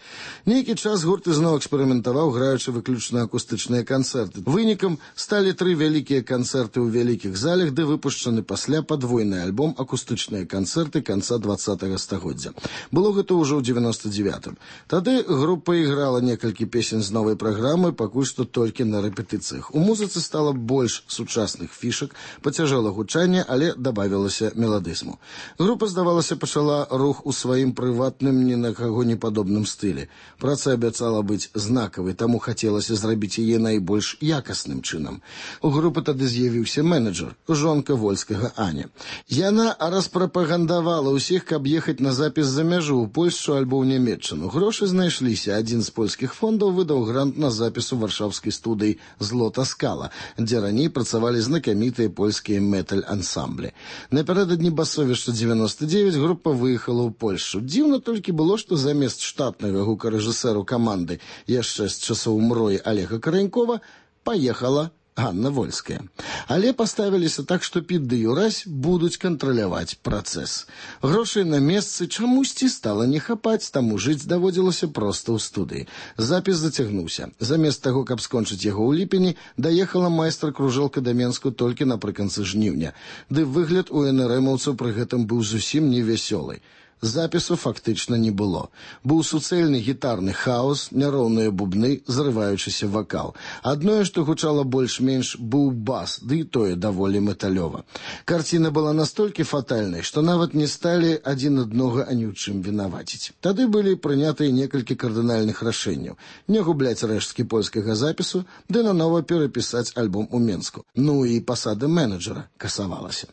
Нейкі час гурт ізноў эксперыментаваў, граючы выключна акустычныя канцэрты. Вынікам сталі 3 вялікія канцэрты ў вялікіх залях, ды выпушчаны пасля падвойны альбом акустычныя канцэрты канца 20-го стагоддзя. Было гэта ўжо ў 99-м. Тады група іграла некалькі песень з новай праграмы, пакуль што толькі на рэпетыцыях. У музыцы стала больш сучасных фішак, пацяжэла гучанне, але дабавілася меладызму. Група, здавалася, пачала рух у сваім прыватным, ні на каго не падобным стылі. Праца абяцала быць знакавай, таму хацелася зрабіць яе найбольш якасным чынам. У групы тады з'явіўся менеджер, жонка Вольскага Аня. Яна распрапагандавала ўсіх, каб ехаць на запіс за мяжу ў Польшчу альбо ў Нямецчыну. Грошы знайшліся. Адзін з польскіх фондаў выдаў грант на запіс у варшаўскай студыі «Злота скала», дзе раней працавалі знакамітыя польскія металь-ансамблі. Напярэдадні басовішча 99 група выехала ў Польшчу. Дзіўна толькі было, што замест штатнага гукарэжысэру каманды яшчэ з часоў мроі Олега Каранькова паехала Ганна Вольская. Але паставіліся так, што під ды юрась будуць кантраляваць працэс. Грошай на месцы чамусьці стала не хапаць, таму жыць даводзілася проста ў студыі. Запіс зацягнуўся. Замест таго, каб скончыць яго ў ліпені, даехала майстар-кружэлка да Менску толькі напрыканцы жніўня. Ды выгляд у НРМаўцаў пры гэтым быў зусім невясёлы. Запісу фактычна не было. Быў суцэльны гітарны хаос, няроўныя бубны, зрываючыся вакал. Адное, што гучала больш-менш, быў бас, ды і тое даволі металёва. Карціна была настолькі фатальнай, што нават не сталі адзін аднога ані ў чым вінаваціць. Тады былі прынятыя некалькі кардынальных рашэнняў. Не губляць рэшткі польскага запісу, ды нанова перапісаць альбом у Менску. Ну і пасада менеджера касавалася.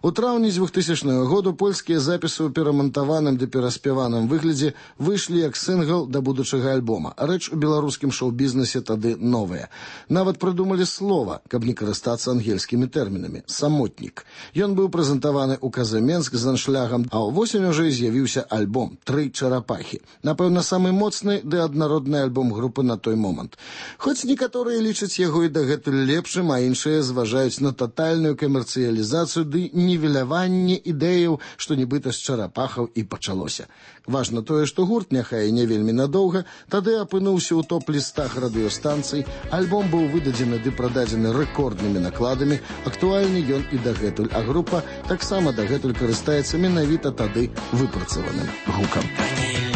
У траўні 2000 году польскія запісы ў перамантаваным ды пераспяваным выглядзе выйшлі як сінгл да будучага альбома. Рэч у беларускім шоу-бізнесе тады новая. Нават прыдумалі слова, каб не карыстацца ангельскімі тэрмінамі. «Самотнік». Ён быў прэзентаваны ў КЗ Менск з аншлягам, а ўвосень ужо з'явіўся альбом «Тры чарапахі». Напэўна, самы моцны ды аднародны альбом групы на той момант. Хоць некаторыя лічаць яго і дагэтуль лепшым, а іншыя зважаюць на татальную камерцыялізацыю ды нівеляванне ідэяў, што нібыта з чарапахаў і пачалося. Важна тое, што гурт, няхай не вельмі надоўга, тады апынуўся ў топ-лістах радыёстанцый, альбом быў выдадзены ды прададзены рэкорднымі накладамі, актуальны ён і дагэтуль, а група таксама дагэтуль карыстаецца менавіта тады выпрацаваным гукам.